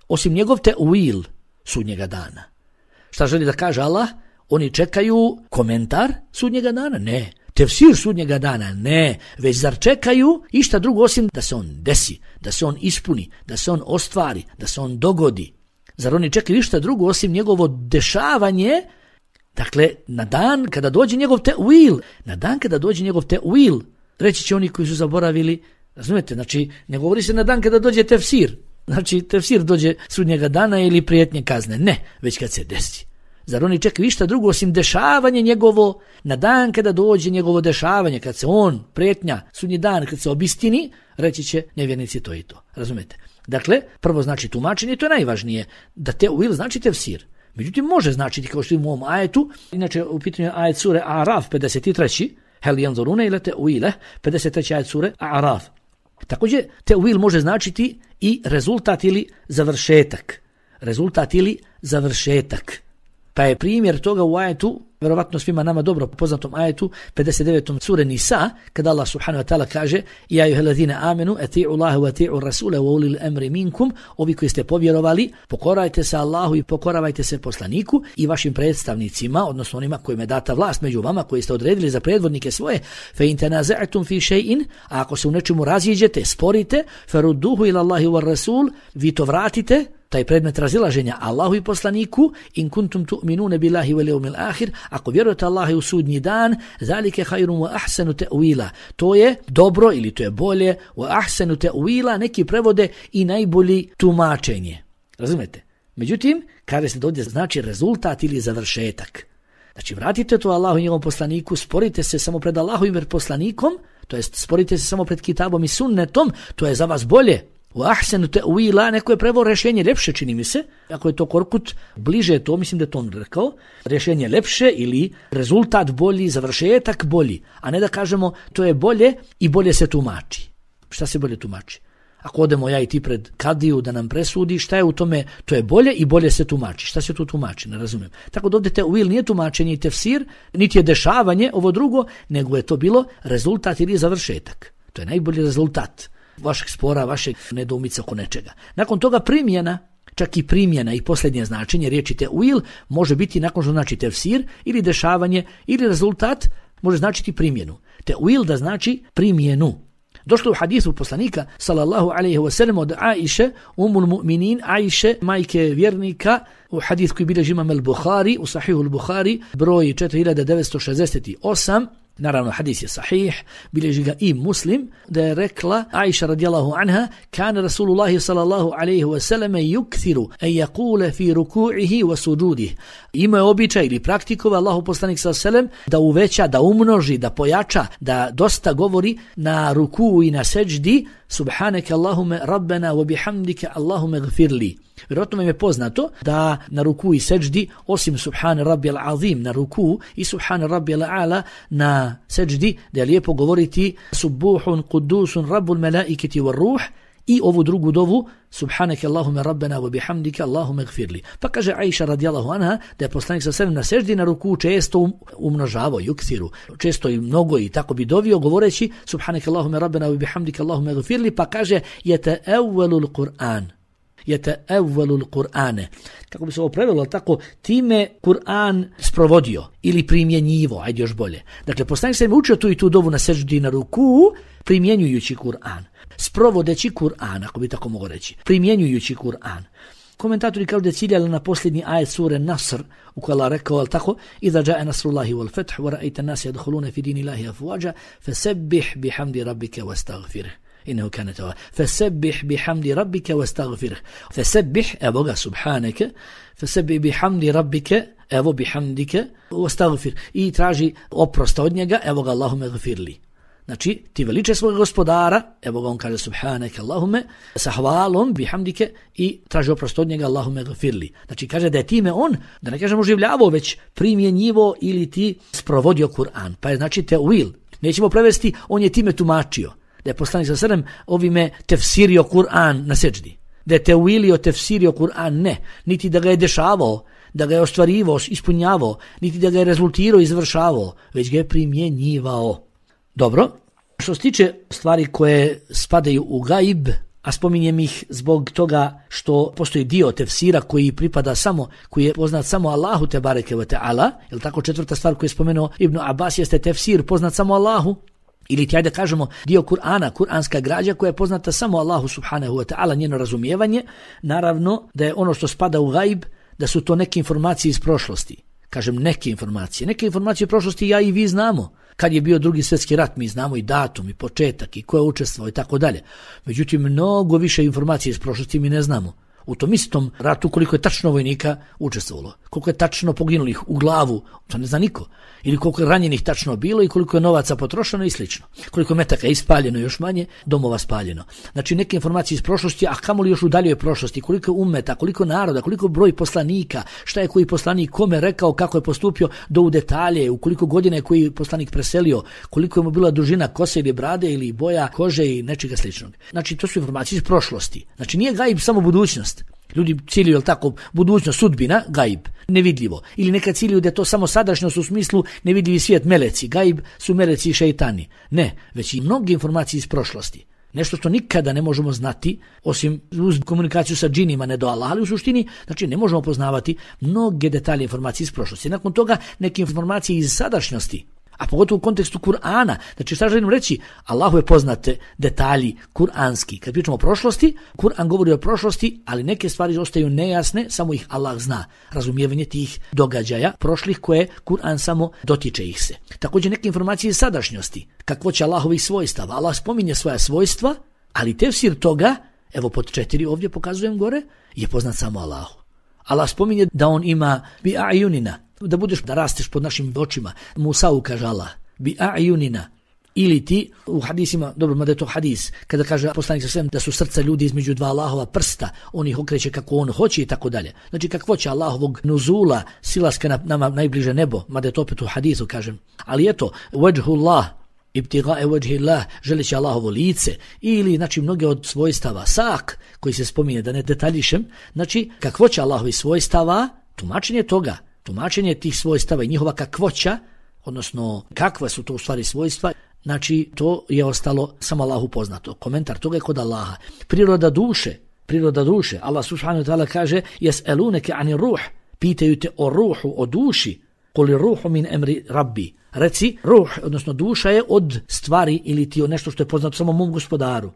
osim njegov ta'wil sudnjega dana. Šta želi da kaže Allah? Oni čekaju komentar sudnjega dana? Ne. Tefsir sudnjega dana? Ne. Već zar čekaju išta drugo osim da se on desi, da se on ispuni, da se on ostvari, da se on dogodi? Zar oni čekaju ništa drugo osim njegovo dešavanje? Dakle, na dan kada dođe njegov te'uil, na dan kada dođe njegov te'uil, reći će oni koji su zaboravili, razumijete, znači ne govori se na dan kada dođe tefsir, znači tefsir dođe sudnjega dana ili prijetnje kazne, ne, već kad se desi. Zar oni čekaju išta drugo osim dešavanje njegovo na dan kada dođe njegovo dešavanje, kad se on, prijetnja, sudnji dan, kad se obistini, reći će nevjernici to i to. Razumete? Dakle, prvo znači tumačenje, to je najvažnije, da te'wil znači tefsir. Međutim, može značiti, kao što imamo u ovom ajetu, inače u pitanju ajet sure A'raf, pedeset treći Hel yanzuruna ila te'wile, pedeset treći ajet sure A'raf. Također, te'wil može značiti i rezultat ili završetak. Rezultat ili završetak. Pa je primjer toga u ajetu, vjerovatno svima nama dobro poznatom ajetu, pedeset devetom sure Nisa, kada Allah subhanahu wa ta'ala kaže: Ja ayyuhallazina amanu ati'u Allaha wa ati'u rasula wa ulil amri minkum, ovi koji ste povjerovali, pokorajte se Allahu i pokoravajte se poslaniku i vašim predstavnicima, odnosno onima kojima je data vlast među vama, koji ste odredili za predvodnike svoje. Fa in tanaza'tum fi shay'in, a ako se u nečemu raziđete, sporite, farudduhu ila Allahi wa rasul, vi to vratite, taj predmet razilaženja Allahu i poslaniku, in kuntum tu'minuna billahi wal yawmil akhir, ako vjerujete Allahu u sudnji dan, zalike khairun wa ahsanu ta'wila, to je dobro ili to je bolje, wa ahsanu ta'wila, neki prevode i najbolji tumačenje. Razumete? Međutim, kaže se da ovdje znači rezultat ili završetak. Znači, vratite to Allahu i njegovom poslaniku, sporite se samo pred Allahovim i poslanikom, to jest sporite se samo pred kitabom i sunnetom, to je za vas bolje. U ahsanu ta'wila, neko je preveo rješenje ljepše, čini mi se, ako je to Korkut bliže to, mislim da je to on rekao, rješenje ljepše ili rezultat bolji, završetak bolji, a ne da kažemo to je bolje i bolje se tumači. Šta se bolje tumači? Ako odemo ja i ti pred kadiju da nam presudi, šta je u tome, to je bolje i bolje se tumači. Šta se tu tumači, ne razumijem. Tako da ovdje te'wil nije tumačenje i tefsir, niti je dešavanje, ovo drugo, nego je to bilo rezultat ili završetak. To je najbolji rezultat vašeg spora, vašeg nedoumice oko nečega. Nakon toga primjena, čak i primjena i posljednje značenje riječi te'wil može biti nakon što znači tefsir ili dešavanje ili rezultat može značiti primjenu. Te'wil da znači primjenu. Došlo u hadisu poslanika sallallahu alejhi ve sellem od Aiše, umul mu'minin, Aiše, majke vjernika, u hadis koji bilježi imam al-Bukhari, u sahihu al-Bukhari, broj četiri hiljade devetsto šezdeset osam, naravno hadis je sahih, bilježi ga i Muslim, da je rekla Aisha radijallahu anha: kana Rasulullahi sallallahu alejhi ve sellem yukthiru an yaqula fi ruku'ihi wa sujudih. Ima je običaj ili praktikova Allahu poslanik sallallahu alejhi ve sellem da uveća, da umnoži, da pojača, da dosta govori na ruku i na seđdi: subhanaka Allahume rabbena wa bihamdika Allahume gfirli. Vjerojatno vam je poznato da na ruku i seđdi, osim subhana rabbijal azim na ruku i subhana rabbijal a'la na seđdi, da je lijepo govoriti subuhun kudusun rabbul melaiketi var ruh, i ovu drugu dovu subhanaka Allahume rabbena wa bihamdika Allahume gfirli. Pa kaže Aisha radijallahu anha da je poslanik sa selem na seždi na ruku često umnožavao, yukthiru, često i mnogo i tako bi dovio govoreći subhanaka Allahume rabbena wa bihamdika Allahume gfirli, pa kaže yata'awwalul Qur'an. Yata'awwalul Qur'ane. Kako bi se ovo prevelo, tako time Kur'an sprovodio ili primjenjivo, ajde još bolje. Dakle, poslanik se učio tu i tu dovu na seždi na ruku, primjenjujući Kur'an, sprovodeći Kur'an, ako bi tako mogo reći, primjenjujući Kur'an. Komentatori kažu da je ciljali na posljednji ajet sure Nasr, u kojoj Allah rekao, ali tako: Iza ja'a nasrullahi wal fath wa ra'aita an-nasa yadkhuluna fi dinillahi afwaja fasabbih bihamdi rabbika wastaghfirh. Innehu kana tawwaba. Fasabbih bihamdi rabbika wastaghfirh. Fasabbih, evo ga, subhanaka, fasabbih bihamdi rabbika, evo bihamdika, wastaghfir. I traži oprost od njega, evo ga, Allahume gfirli. Znači, ti veliče svog gospodara, evo ga on kaže subhanaka Allahume, sa hvalom, bihamdike, i traži oprost od njega, Allahume gfirli. Znači, kaže da je time on, da ne kažemo oživljavao, već primjenjivo ili ti sprovodio Kur'an. Pa je znači te'wil. Nećemo prevesti, on je time tumačio. Da je poslanik sa selem ovime tefsirio Kur'an na seđdi. Da je te'wilio, tefsirio Kur'an, ne. Niti da ga je dešavao, da ga je ostvarivao, ispunjavao, niti da ga je rezultirao, izvršavao, već ga je primjenjivao. Dobro, što se tiče stvari koje spadaju u gaib, a spominjem ih zbog toga što postoji dio tefsira koji pripada samo, koji je poznat samo Allahu te bareke ve ta'ala, jel tako, četvrta stvar koju je spomenuo Ibn Abbas jeste tefsir poznat samo Allahu, ili ti ajde kažemo dio Kur'ana, kuranska građa koja je poznata samo Allahu subhanahu wa ta'ala, njeno razumijevanje, naravno da je ono što spada u gaib, da su to neke informacije iz prošlosti. Kažem neke informacije. Neke informacije u prošlosti ja i vi znamo. Kad je bio drugi svjetski rat, mi znamo i datum, i početak, i ko je učestvovao i tako dalje. Međutim, mnogo više informacije iz prošlosti mi ne znamo. u tom istom ratu koliko je tačno vojnika učestvovalo, koliko je tačno poginulih u glavu, to ne zna niko, ili koliko je ranjenih tačno bilo i koliko je novaca potrošeno i slično, koliko je metaka ispaljeno, još manje domova spaljeno. Znači neke informacije iz prošlosti, a kamoli još u daljoj prošlosti, koliko je ummeta, koliko naroda, koliko broj poslanika, šta je koji poslanik kome rekao, kako je postupio, do u detalje, u koliko godina je koji poslanik preselio, koliko je mu bila dužina kose ili brade ili boja kože i nečega sličnog. Znači to su informacije iz prošlosti. Znači nije gajb samo budućnost. Ljudi ciljuju, jel tako, budućnost, sudbina, gajb, nevidljivo. Ili neka ciljuju da je to samo sadašnjost u smislu nevidljivi svijet, meleci. Gajb su meleci i šeitani. Ne, već i mnoge informacije iz prošlosti. Nešto što nikada ne možemo znati, osim uz komunikaciju sa džinima, ne do Allaha, ali u suštini, znači ne možemo poznavati mnoge detalje informacije iz prošlosti. Nakon toga neke informacije iz sadašnjosti, a pogotovo u kontekstu Kur'ana. Znači šta želim reći? Allahu je poznate detalji kur'anski. Kad pričamo o prošlosti, Kur'an govori o prošlosti, ali neke stvari ostaju nejasne, samo ih Allah zna. Razumijevanje tih događaja prošlih koje Kur'an samo dotiče ih se. Također neke informacije iz sadašnjosti. Kakvo će Allahovih svojstava. Allah spominje svoja svojstva, ali tefsir toga, evo pod četiri ovdje pokazujem gore, je poznat samo Allahu. Allah spominje da on ima bi a'yunina, da budeš, da rasteš pod našim očima. Musa'u kaže Allah, bi a'yunina. Ili ti u hadisima, dobro, mada je to hadis, kada kaže poslanik sa svem da su srca ljudi između dva Allahova prsta, on ih okreće kako on hoće i tako dalje. Znači kakvo će Allahovog nuzula, silaska na nama najbliže nebo, mada je to opet u hadisu kažem. Ali eto, wajhullah, ibtigae wajhillah, želeći Allahovo lice, ili znači mnoge od svojstava, sak, koji se spominje, da ne detaljišem, znači kakvo će Allahovi svojstava, tumačenje toga, tumačenje tih svojstava i njihova kakvoća, odnosno kakva su to u stvari svojstva, znači to je ostalo samo Allahu poznato. Komentar toga je kod Allaha. Priroda duše, priroda duše, Allah subhanahu wa ta'ala kaže jes'eluneke ani ruh, pitaju te o ruhu, o duši, koli ruhu min emri rabbi. Reci, ruh, odnosno duša je od stvari ili ti od nešto što je poznato samo mom gospodaru.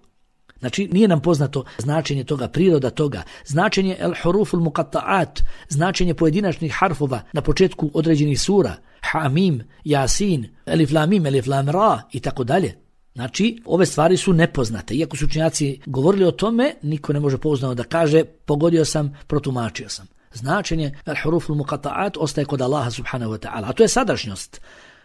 Znači nije nam poznato značenje toga, priroda toga, značenje el huruful muqatta'at, značenje pojedinačnih harfova na početku određenih sura, hamim, jasin, elif lam mim, elif lam ra i tako dalje. Znači ove stvari su nepoznate. Iako su učenjaci govorili o tome, niko ne može pouzdano da kaže pogodio sam, protumačio sam. Značenje el huruful muqatta'at ostaje kod Allaha subhanahu wa ta'ala, a to je sadašnjost.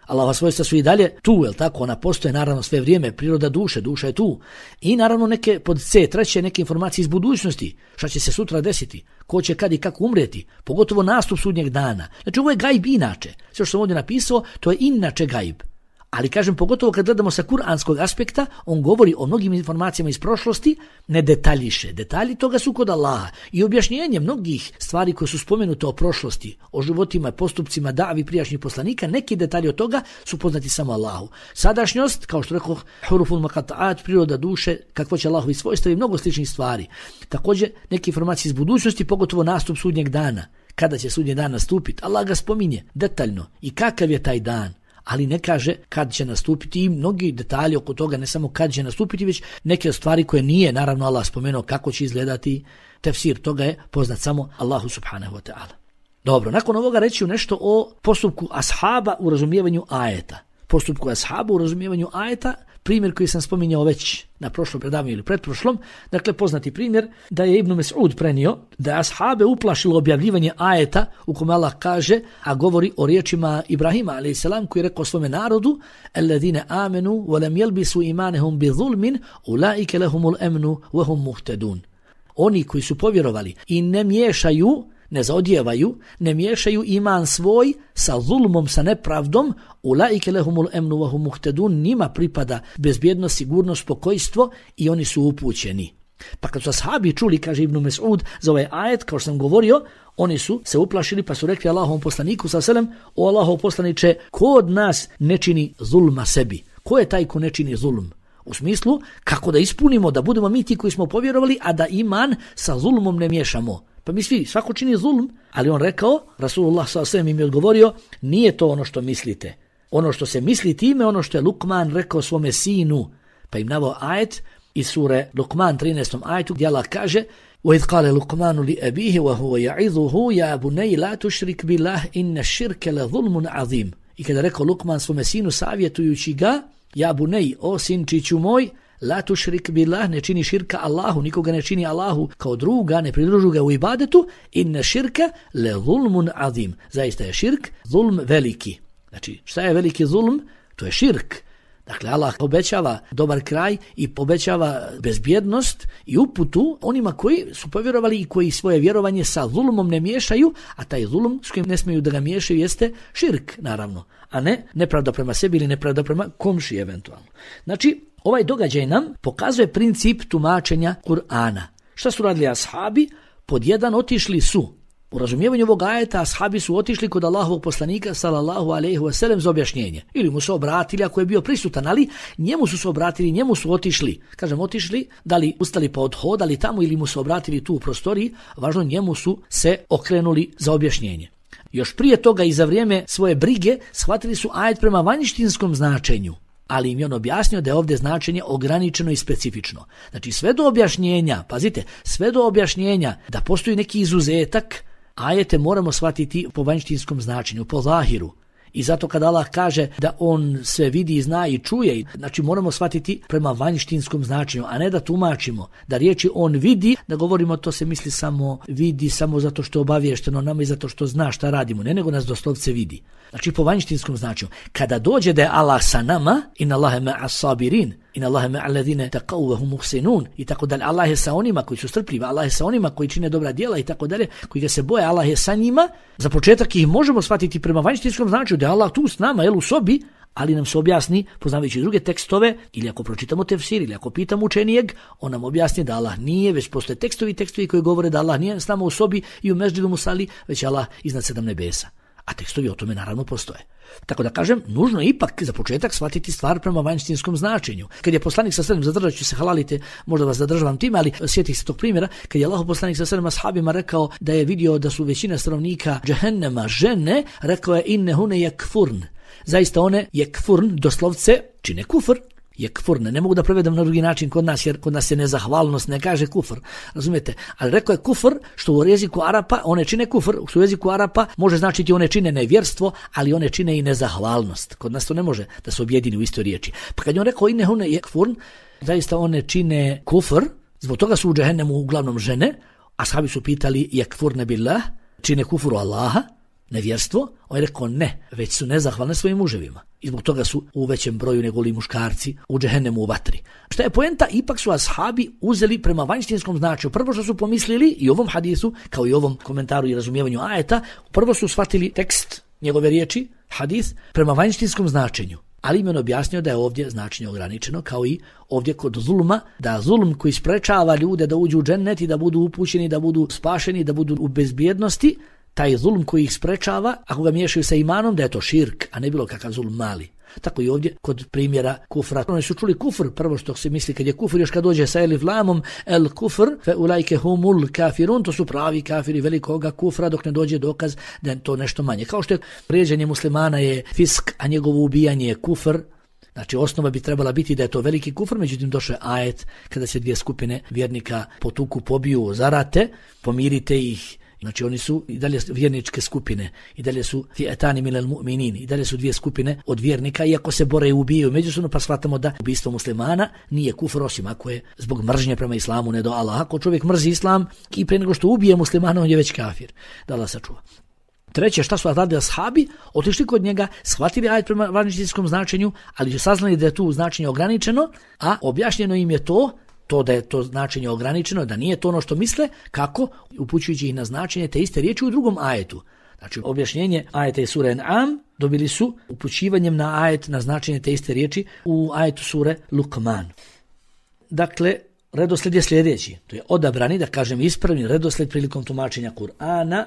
Allahova svojstva su i dalje tu, jel tako? Ona postoje naravno sve vrijeme, priroda duše, duša je tu. I naravno neke pod C, treće neke informacije iz budućnosti, šta će se sutra desiti, ko će kad i kako umrijeti, pogotovo nastup sudnjeg dana. Znači ovo je gajb inače. Sve što sam ovdje napisao, to je inače gajb. Ali kažem, pogotovo kad gledamo sa kuranskog aspekta, on govori o mnogim informacijama iz prošlosti, ne detaljiše. Detalji toga su kod Allaha. I objašnjenje mnogih stvari koje su spomenute o prošlosti, o životima, postupcima, davi prijašnjih poslanika, neki detalji od toga su poznati samo Allahu. Sadašnjost, kao što rekao, huruful muqatta'at, priroda duše, kakvo će Allahovi svojstva i mnogo sličnih stvari. Također, neke informacije iz budućnosti, pogotovo nastup sudnjeg dana. Kada će sudnji dan nastupiti? Allah ga spominje detaljno. I kakav je taj dan? Ali ne kaže kad će nastupiti i mnogi detalji oko toga, ne samo kad će nastupiti, već neke stvari koje nije, naravno Allah spomenuo kako će izgledati, tefsir toga je poznat samo Allahu subhanahu wa ta'ala. Dobro, nakon ovoga reći nešto o postupku ashaba u razumijevanju ajeta. Postupku ashaba u razumijevanju ajeta, primjer koji sam spominjao već na prošlom predavanju ili pretprošlom, dakle poznati primjer da je Ibn Mes'ud prenio da je ashabe uplašilo objavljivanje ajeta u kome Allah kaže, a govori o riječima Ibrahima alejhi selam koji je rekao svome narodu alladine amenu wa lam yalbisu imanahum bi zulmin ulaika lahumul amnu wa hum muhtadun. Oni koji su povjerovali i ne miješaju, ne zaodjevaju, ne miješaju iman svoj sa zulmom, sa nepravdom, ulaike lehumul emnu wa hum muhtadun, njima pripada bezbjednost, sigurnost, spokojstvo i oni su upućeni. Pa kad su ashabi čuli, kaže Ibn Mes'ud, za ovaj ajet, kao što sam govorio, oni su se uplašili pa su rekli Allahovom poslaniku sa selem, o Allahov poslaniče, ko od nas ne čini zulma sebi? Ko je taj ko ne čini zulm? U smislu, kako da ispunimo, da budemo mi ti koji smo povjerovali, a da iman sa zulmom ne miješamo. Pa mi svi, svako čini zulm, ali on rekao, Rasulullah sallallahu alejhi ve sellem im je odgovorio, nije to ono što mislite. Ono što se misli time, ono što je Lukman rekao svome sinu. Pa im naveo ajet iz sure Lukman trinaestom ajetu gdje Allah kaže وَإِذْ قَالَ لُقْمَانُ لِأَبِيهِ وَهُوَ يَعِظُهُ يَا بُنَيَّ لَا تُشْرِكْ بِاللَّهِ إِنَّ الشِّرْكَ لَظُلْمٌ عَظِيمٌ. I kada rekao Lukman svome sinu savjetujući ga, ja bunej, o sinčiću moj, la tušrik billah, ne čini širka Allahu, nikoga ne čini Allahu kao druga, ne pridružu ga u ibadetu, inna širka le zulmun azim. Zaista je širk zulm veliki. Znači, šta je veliki zulm? To je širk. Dakle, Allah obećava dobar kraj i obećava bezbjednost i uputu onima koji su povjerovali i koji svoje vjerovanje sa zulmom ne miješaju, a taj zulm s kojim ne smiju da ga miješaju jeste širk, naravno, a ne nepravda prema sebi ili nepravda prema komši eventualno. Znači, ovaj događaj nam pokazuje princip tumačenja Kur'ana. Šta su radili ashabi? Pod jedan, otišli su. U razumijevanju ovog ajeta ashabi su otišli kod Allahovog poslanika sallallahu alejhi ve sellem za objašnjenje. Ili mu se obratili ako je bio prisutan, ali njemu su se obratili, njemu su otišli. Kažem otišli, da li ustali pa odhodali tamo ili mu se obratili tu u prostoriji, važno njemu su se okrenuli za objašnjenje. Još prije toga i za vrijeme svoje brige shvatili su ajet prema vanjštinskom značenju. Ali im je on objasnio da je ovdje značenje ograničeno i specifično. Znači sve do objašnjenja, pazite, sve do objašnjenja da postoji neki izuzetak, ajete moramo shvatiti po vanjštinskom značenju, po zahiru. I zato kada Allah kaže da on sve vidi, zna i čuje, znači moramo shvatiti prema vanjštinskom značenju, a ne da tumačimo da riječi on vidi, da govorimo to se misli samo vidi, samo zato što je obaviješteno nama i zato što zna šta radimo, ne nego nas doslovce vidi. Znači po vanjštinskom značenju. Kada dođe da je Allah sa nama, inna Allahe ma'as sabirin, inna Allahe ma'al ladine taqaw wa hum muhsinun, i tako dalje. Allah je sa onima koji su strpljivi, Allah je sa onima koji čine dobra djela i tako dalje, koji ga se boje, Allah je sa njima. Za početak ih možemo shvatiti prema vanjštinskom značenju da je Allah tu s nama, jel, u sobi, ali nam se objasni, poznavajući druge tekstove, ili ako pročitamo tefsir, ili ako pitamo učenijeg, on nam objasni da Allah nije, već postoje tekstovi tekstovi koji govore da Allah nije s nama u sobi i u meždidu musali, već Allah iznad sedam nebesa. A tekstovi o tome naravno postoje. Tako da kažem, nužno je ipak za početak shvatiti stvar prema vanjštinskom značenju. Kad je poslanik sa sredem, zadržat ću se, halalite, možda vas zadržavam time, ali sjetih se tog primjera, kad je Allah poslanik sa sredem ashabima rekao da je vidio da su većina stanovnika džehennema žene, rekao je innehune jekfurn. Zaista one jekfurn, doslovce, čine kufr. Jekfurn, ne mogu da prevedem na drugi način kod nas, jer kod nas je nezahvalnost, ne kaže kufr, razumijete? Ali rekao je kufr, što u jeziku Arapa, one čine kufr, što u jeziku Arapa može značiti one čine nevjerstvo, ali one čine i nezahvalnost. Kod nas to ne može da se objedini u istoj riječi. Pa kad je on rekao innehune jekfurn, zaista one čine kufr, zbog toga su u džehennemu uglavnom žene, a ashabi su pitali jekfurne billah, čine kufru Allaha, nevjerstvo, on je rekao ne, već su nezahvalne svojim muževima. I zbog toga su u većem broju nego li muškarci u džehennemu u vatri. Šta je poenta? Ipak su ashabi uzeli prema vanjštinskom značenju. Prvo što su pomislili i ovom hadisu, kao i ovom komentaru i razumijevanju ajeta, prvo su shvatili tekst njegove riječi, hadis, prema vanjštinskom značenju. Ali im je objasnio da je ovdje značenje ograničeno, kao i ovdje kod zulma, da zulm koji sprečava ljude da uđu u džennet i da budu upućeni, da budu spašeni, da budu u bezbjednosti, taj zulm koji ih sprečava, ako ga miješaju sa imanom, da je to širk, a ne bilo kakav zulm mali. Tako i ovdje kod primjera kufra. Oni su čuli kufr, prvo što se misli kad je kufr, još kad dođe sa elif lamom, el kufr, fe ulajke humul kafirun, to su pravi kafiri velikoga kufra, dok ne dođe dokaz da je to nešto manje. Kao što je prijeđenje muslimana je fisk, a njegovo ubijanje je kufr. Znači osnova bi trebala biti da je to veliki kufr, međutim došao je ajet kada se dvije skupine vjernika potuku, pobiju, zarate, pomirite ih. Znači oni su i dalje vjerničke skupine, i dalje su fi'atani minal mu'minin, i dalje su dvije skupine od vjernika, iako se bore i ubijaju međusobno, pa shvatamo da ubistvo muslimana nije kufr, osim ako je zbog mržnje prema islamu, ne do Allaha. Ako čovjek mrzi islam i pre nego što ubije muslimana, on je već kafir. Da Allah sačuva. Treće, šta su radili ashabi? Otišli kod njega, shvatili ajet prema vanjštinskom značenju, ali su saznali da je tu značenje ograničeno, a objašnjeno im je to to da je to značenje ograničeno, da nije to ono što misle, kako? Upućujući ih na značenje te iste riječi u drugom ajetu. Znači, objašnjenje ajeta iz sure An'am dobili su upućivanjem na ajet, na značenje te iste riječi u ajetu sure Luqman. Dakle, redosled je sljedeći. To je odabrani, da kažem ispravni redosled prilikom tumačenja Kur'ana.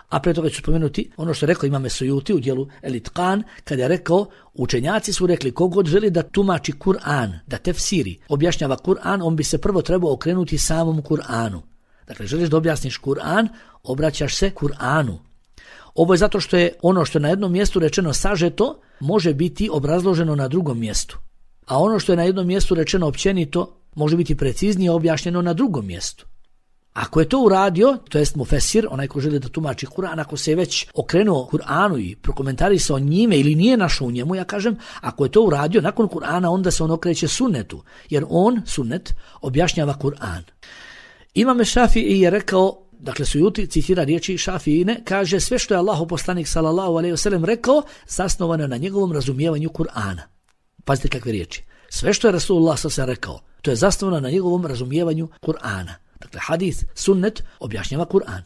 A pre toga ću spomenuti ono što je rekao Imam Sujuti u dijelu El-Itqan, kada je rekao, učenjaci su rekli, kogod želi da tumači Kur'an, da tefsiri, objašnjava Kur'an, on bi se prvo trebao okrenuti samom Kur'anu. Dakle, želiš da objasniš Kur'an, obraćaš se Kur'anu. Ovo je zato što je ono što je na jednom mjestu rečeno sažeto, može biti obrazloženo na drugom mjestu. A ono što je na jednom mjestu rečeno općenito, može biti preciznije objašnjeno na drugom mjestu. Ako je to uradio, to jest mufesir, onaj ko želi da tumači Kur'an, ako se je već okrenuo Kur'anu i prokomentarisao njime ili nije našao u njemu, ja kažem, ako je to uradio nakon Kur'ana, onda se on okreće sunnetu, jer on, sunnet, objašnjava Kur'an. Imam Šafii je rekao, dakle Sujuti citira riječi Šafiine, kaže sve što je Allahov poslanik sallallahu alejhi ve sellem rekao, zasnovano je na njegovom razumijevanju Kur'ana. Pazite kakve riječi. Sve što je Rasulullah sallallahu alejhi ve sellem rekao, to je zasnovano na njegovom razumijevanju Kur'ana. Dakle, hadis, sunnet, objašnjava Kur'an.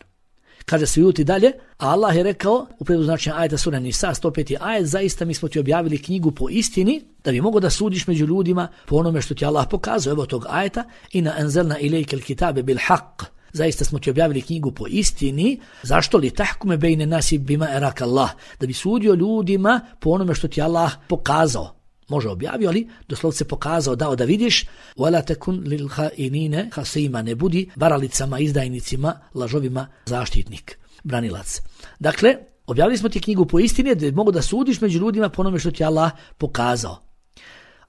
Kaže se Juti dalje, a Allah je rekao, u prijevodu značenja ajeta sura Nisa, sto peti ajet, zaista mi smo ti objavili knjigu po istini, da bi mogo da sudiš među ljudima po onome što ti Allah pokazao. Evo tog ajeta, ina anzalna ilejkel kitabe bil haq. Zaista smo ti objavili knjigu po istini, zašto li tahkume bejne nasi bima erak Allah, da bi sudio ljudima po onome što ti Allah pokazao. Može objavio, ali doslovce pokazao, dao da vidiš, wala takun lil khainina khasima, ne budi varalicama, izdajnicima, lažovima zaštitnik, branilac. Dakle, objavili smo ti knjigu po istini da mogu da sudiš među ljudima po onome što ti Allah pokazao.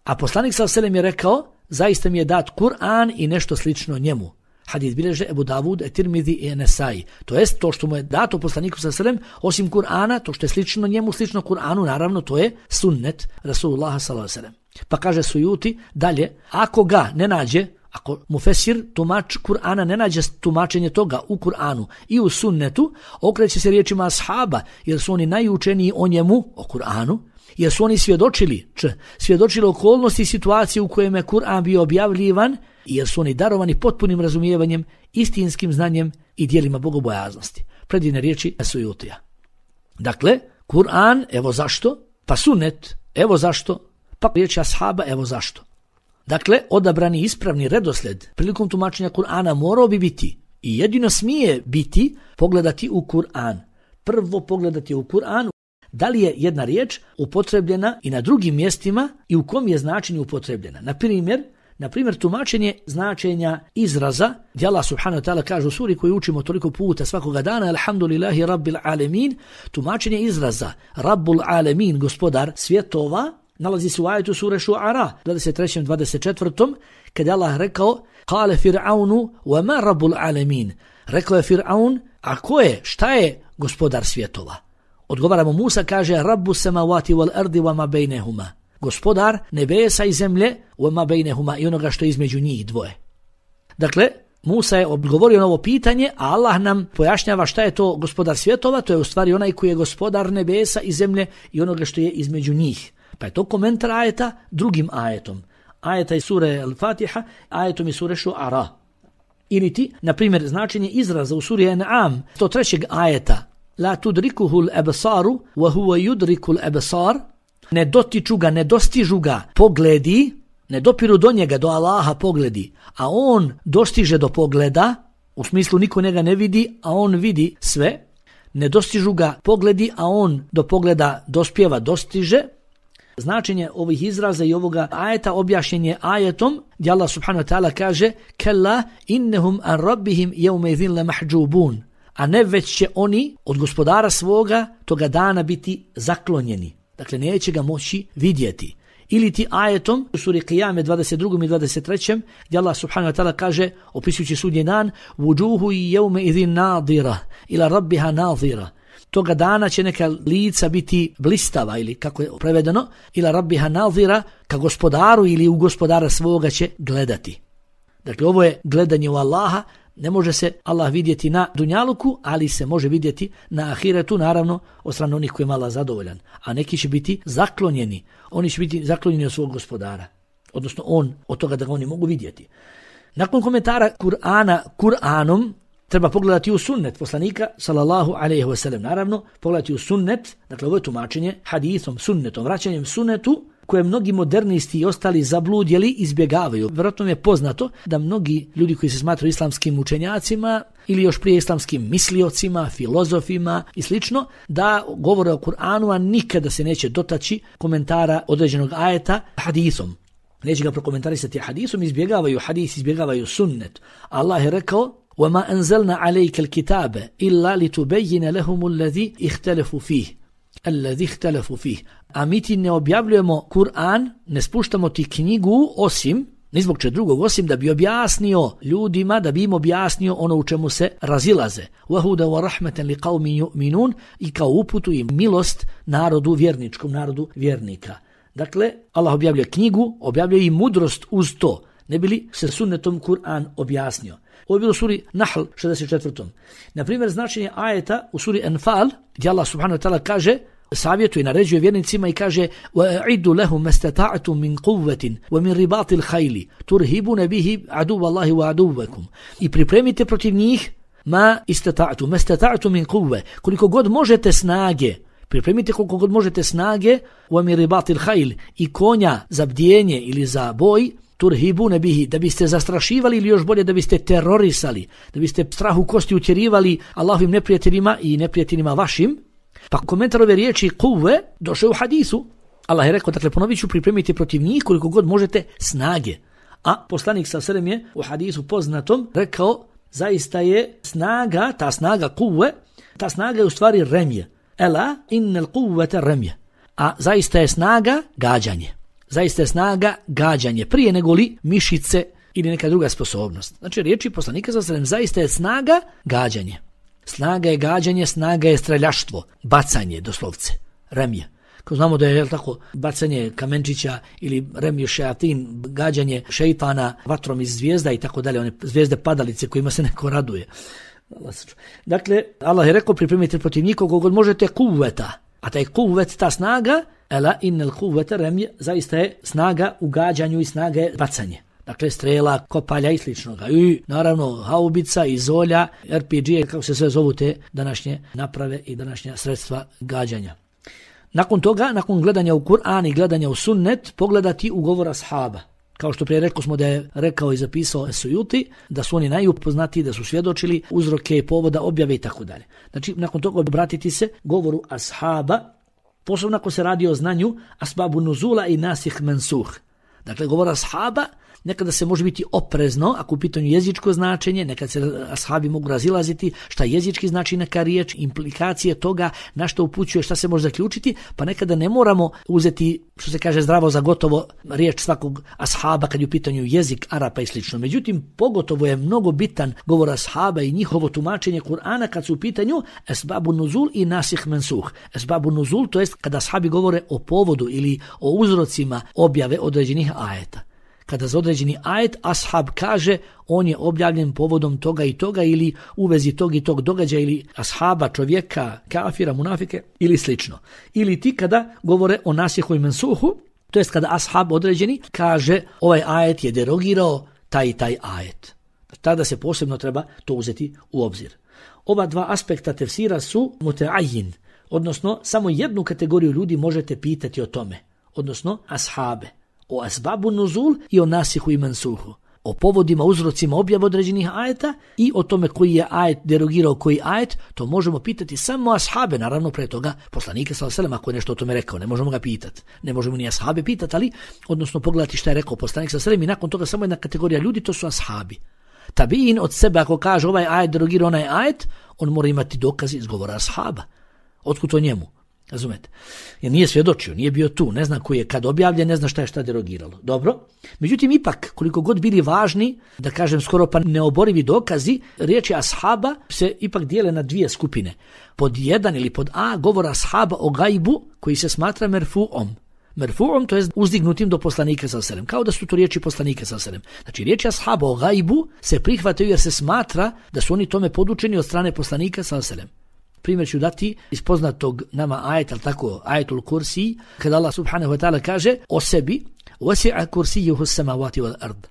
A poslanik sallallahu alejhi ve sellem je rekao, zaista mi je dat Kur'an i nešto slično njemu. Hadis bilježe Ebu Davud, Tirmizi i Nesai. To jest to što mu je dato poslaniku sallallahu alejhi ve sellem, osim Kur'ana, to što je slično njemu, slično Kur'anu, naravno to je sunnet Rasulullah sallallahu alejhi ve sellem. Pa kaže Sujuti dalje, ako ga ne nađe, ako mufesir, tumač Kur'ana, ne nađe tumačenje toga u Kur'anu i u sunnetu, okreće se riječima ashaba, jer su oni najučeniji o njemu, o Kur'anu, jer su oni svjedočili, č, svjedočili okolnosti i situacije u kojima je Kur'an bio objavljivan, jer su oni darovani potpunim razumijevanjem, istinskim znanjem i dijelima bogobojaznosti. Predivne riječi Sujutija. Dakle, Kur'an, evo zašto, pa sunnet, evo zašto, pa riječi ashaba, evo zašto. Dakle, odabrani ispravni redosled prilikom tumačenja Kur'ana morao bi biti i jedino smije biti pogledati u Kur'an. Prvo pogledati u Kur'an, da li je jedna riječ upotrebljena i na drugim mjestima i u kom je značenju upotrebljena. Na primjer, na primjer tumačenje značenja izraza, gdje Allah subhanahu wa ta'ala kaže u suri koju učimo toliko puta svakoga dana, alhamdulillahi rabbil alemin, tumačenje izraza rabbul alemin, gospodar svjetova, nalazi se u ajetu sure Šuara, dvadeset trećem dvadeset četvrtom, kada je Allah rekao, kale Fir'aunu, wa ma rabbul alemin, rekao je Fir'aun, a ko je, šta je gospodar svjetova? Odgovaramo Musa, kaže, rabbu samawati wal ardi wa ma bejnehuma, gospodar nebesa i zemlje, wa ma bejnehuma, i onoga što je između njih dvoje. Dakle, Musa je odgovorio na ovo pitanje, a Allah nam pojašnjava šta je to gospodar svjetova, to je u stvari onaj koji je gospodar nebesa i zemlje i onoga što je između njih. Pa je to komentar ajeta drugim ajetom. Ajeta iz sure Al-Fatiha, ajetom iz sure Šuara. Ili ti, na primjer, značenje izraza u suri An'am, sto trećeg ajeta, la tudrikuhu l-absaru, wa huwa yudriku l-absar, ne dotiču ga, ne dostižu ga pogledi, ne dopiru do njega, do Allaha pogledi, a on dostiže do pogleda, u smislu niko njega ne vidi, a on vidi sve, ne dostižu ga pogledi, a on do pogleda dospjeva, dostiže. Značenje ovih izraza i ovoga ajeta objašnjen je ajetom gdje Allah subhanahu wa ta'ala kaže kella innehum an rabbihim jevme idhin le mahđubun, a ne već će oni od gospodara svoga toga dana biti zaklonjeni. Dakle, neće ga moći vidjeti. Ili ti ajetom u suri Qiyame dvadeset drugom i dvadeset trećem gdje Allah subhanahu wa ta'ala kaže, opisujući sudnji dan, vujuhu jevme idhin nadira ila rabbiha nadira. Toga dana će neka lica biti blistava ili kako je prevedeno, ila rabbiha nadira, ka gospodaru ili u gospodara svoga će gledati. Dakle, ovo je gledanje u Allaha. Ne može se Allah vidjeti na dunjaluku, ali se može vidjeti na ahiretu, naravno od strane onih koji je Allah zadovoljan. A neki će biti zaklonjeni. Oni će biti zaklonjeni od svog gospodara. Odnosno on od toga da ga oni mogu vidjeti. Nakon komentara Kur'ana Kur'anom, treba pogledati u sunnet poslanika sallallahu alejhi ve sellem. Naravno, pogledati u sunnet, dakle ovo je tumačenje hadisom, sunnetom, vraćanjem sunnetu, koje mnogi modernisti i ostali zabludjeli izbjegavaju. Vjerojatno mi je poznato da mnogi ljudi koji se smatraju islamskim učenjacima ili još prije islamskim misliocima, filozofima i slično, da govore o Kur'anu, a nikada se neće dotaći komentara određenog ajeta hadisom. Neće ga prokomentarisati hadisom, izbjegavaju hadis, izbjegavaju sunnet. Allah je rekao وَمَا أَنزَلْنَا عَلَيْكَ الْكِتَابَ إِلَّا لِتُبَيِّنَ لَهُمُ الَّذِي اخْتَلَفُوا فِيهِ الَّذِي اخْتَلَفُوا فِيهِ. A mi ti ne objavljujemo Kur'an, ne spuštamo ti knjigu osim Ni zbog čeg drugog, osim da bi objasnio ljudima, da bi im objasnio ono u čemu se razilaze. وَهُدَ وَرَحْمَةً لِقَوْمِ يُؤْمِنُونَ i kao uputu i milost narodu vjerničkom, narodu vjernika. Dakle, Allah objavljuje knjigu, objavljuje i mudrost uz to. Ne bi li se sunnetom Kur'an objasnio. Ovo je bilo u suri Nahl šezdeset četvrtom. Na primjer, značenje ajeta u suri Anfal, gdje Allah subhanahu wa ta'ala kaže, savjetuje i naređuje vjernicima i kaže وَأَعِدُّ لَهُمْ مَسْتَطَعْتُمْ مِنْ قُوَّةٍ وَمِنْ رِبَاطِ الْخَيْلِ تُرْهِبُونَ بِهِ عَدُوَّ اللَّهِ وَعَدُوَّكُمْ i pripremite protiv njih ma istata'tu, mastata'tu min quwwa, koliko god možete snage, pripremite koliko god možete snage, وَمِنْ رِبَاطِ الْخَيْلِ i konja za bdjenje ili za boj, turhibune bihi, da biste zastrašivali ili još bolje da biste terorisali, da biste strahu kosti utjerivali Allahovim neprijateljima i neprijateljima vašim. Pa komentar ove riječi kuve došao u hadisu. Allah je rekao, dakle ponovit ću, pripremite protiv njih koliko god možete snage. A poslanik sa selem je u hadisu poznatom rekao, zaista je snaga, ta snaga kuve, ta snaga je u stvari remje. Ela innal kuvvete remje. A zaista je snaga gađanje. Zaista je snaga gađanje, prije nego li mišice ili neka druga sposobnost. Znači riječi poslanika sa selem, zaista je snaga gađanje. Snaga je gađanje, snaga je streljaštvo, bacanje doslovce, remje. Kao znamo da je, jel tako, bacanje kamenčića ili remje šeatin, gađanje šeitana vatrom iz zvijezda i tako dalje, one zvijezde padalice kojima se neko raduje. Dakle, Allah je rekao, pripremite protiv njih koliko god možete kuvveta, a taj kuvvet, ta snaga, ela innal kuvveta remje, zaista je snaga u gađanju i snaga je bacanje. Dakle, strela, kopalja i sličnoga. I naravno, haubica, izolja, er pe ge, kako se sve zovu te današnje naprave i današnja sredstva gađanja. Nakon toga, nakon gledanja u Kur'an i gledanja u sunnet, pogledati u govor ashaba. Kao što prije rekao smo da je rekao i zapisao Sujuti, da su oni najupoznatiji, da su svjedočili uzroke, povoda, objave i tako dalje. Znači, nakon toga obratiti se govoru ashaba, posebno ako se radi o znanju asbabu nuzula i nasih mensuh. Dakle, govor ashaba nekada se može biti oprezno, ako u pitanju jezičko značenje, nekad se ashabi mogu razilaziti šta jezički znači neka riječ, implikacije toga, na što upućuje, šta se može zaključiti, pa nekada ne moramo uzeti, što se kaže, zdravo za gotovo riječ svakog ashaba kad je u pitanju jezik Arapa i slično. Međutim, pogotovo je mnogo bitan govor ashaba i njihovo tumačenje Kur'ana kad su u pitanju esbabu nuzul i nasih mensuh. Esbabu nuzul, to jest kada ashabi govore o povodu ili o uzrocima objave određenih ajeta. Kada za određeni ajet ashab kaže on je objavljen povodom toga i toga ili u vezi tog i tog događaja ili ashaba, čovjeka, kafira, munafike ili slično. Ili ti kada govore o nasihu i mensuhu, to jest kada ashab određeni kaže ovaj ajet je derogirao taj i taj ajet. Tada se posebno treba to uzeti u obzir. Ova dva aspekta tefsira su muteajin, odnosno samo jednu kategoriju ljudi možete pitati o tome, odnosno ashabe. O asbabu nuzul i o nasihu i mensuhu. O povodima, uzrocima objave određenih ajeta i o tome koji je ajet derogirao koji ajet, to možemo pitati samo ashabe, naravno pre toga poslanike sallallahu alejhi ve sellem ako je nešto o tome rekao, ne možemo ga pitati. Ne možemo ni ashabe pitati, ali odnosno pogledati šta je rekao poslanik sallallahu alejhi ve sellem i nakon toga samo jedna kategorija ljudi, to su ashabi. Tabiin od sebe ako kaže ovaj ajet derogirao onaj ajet, on mora imati dokaz iz govora ashaba. Otkud to njemu? Razumete? Jer nije svjedočio, nije bio tu, ne zna koji je kad objavljen, ne zna šta je šta derogiralo. Dobro? Međutim, ipak, koliko god bili važni, da kažem skoro pa neoborivi dokazi, riječi ashaba se ipak dijele na dvije skupine. Pod jedan ili pod A govor ashaba o gajbu koji se smatra merfu'om. Merfu'om, to je uzdignutim do poslanika sallallahu alejhi ve sellem, kao da su to riječi poslanika sallallahu alejhi ve sellem. Znači, riječi ashaba o gajbu se prihvataju jer se smatra da su oni tome podučeni od strane poslanika sallallahu alejhi ve sellem. Primjer ću dati iz poznatog nama ajeta, ali tako, ajetul kursi, kada Allah subhanahu wa ta'ala kaže o sebi, wasi'a kursijuhu samawati wal ard.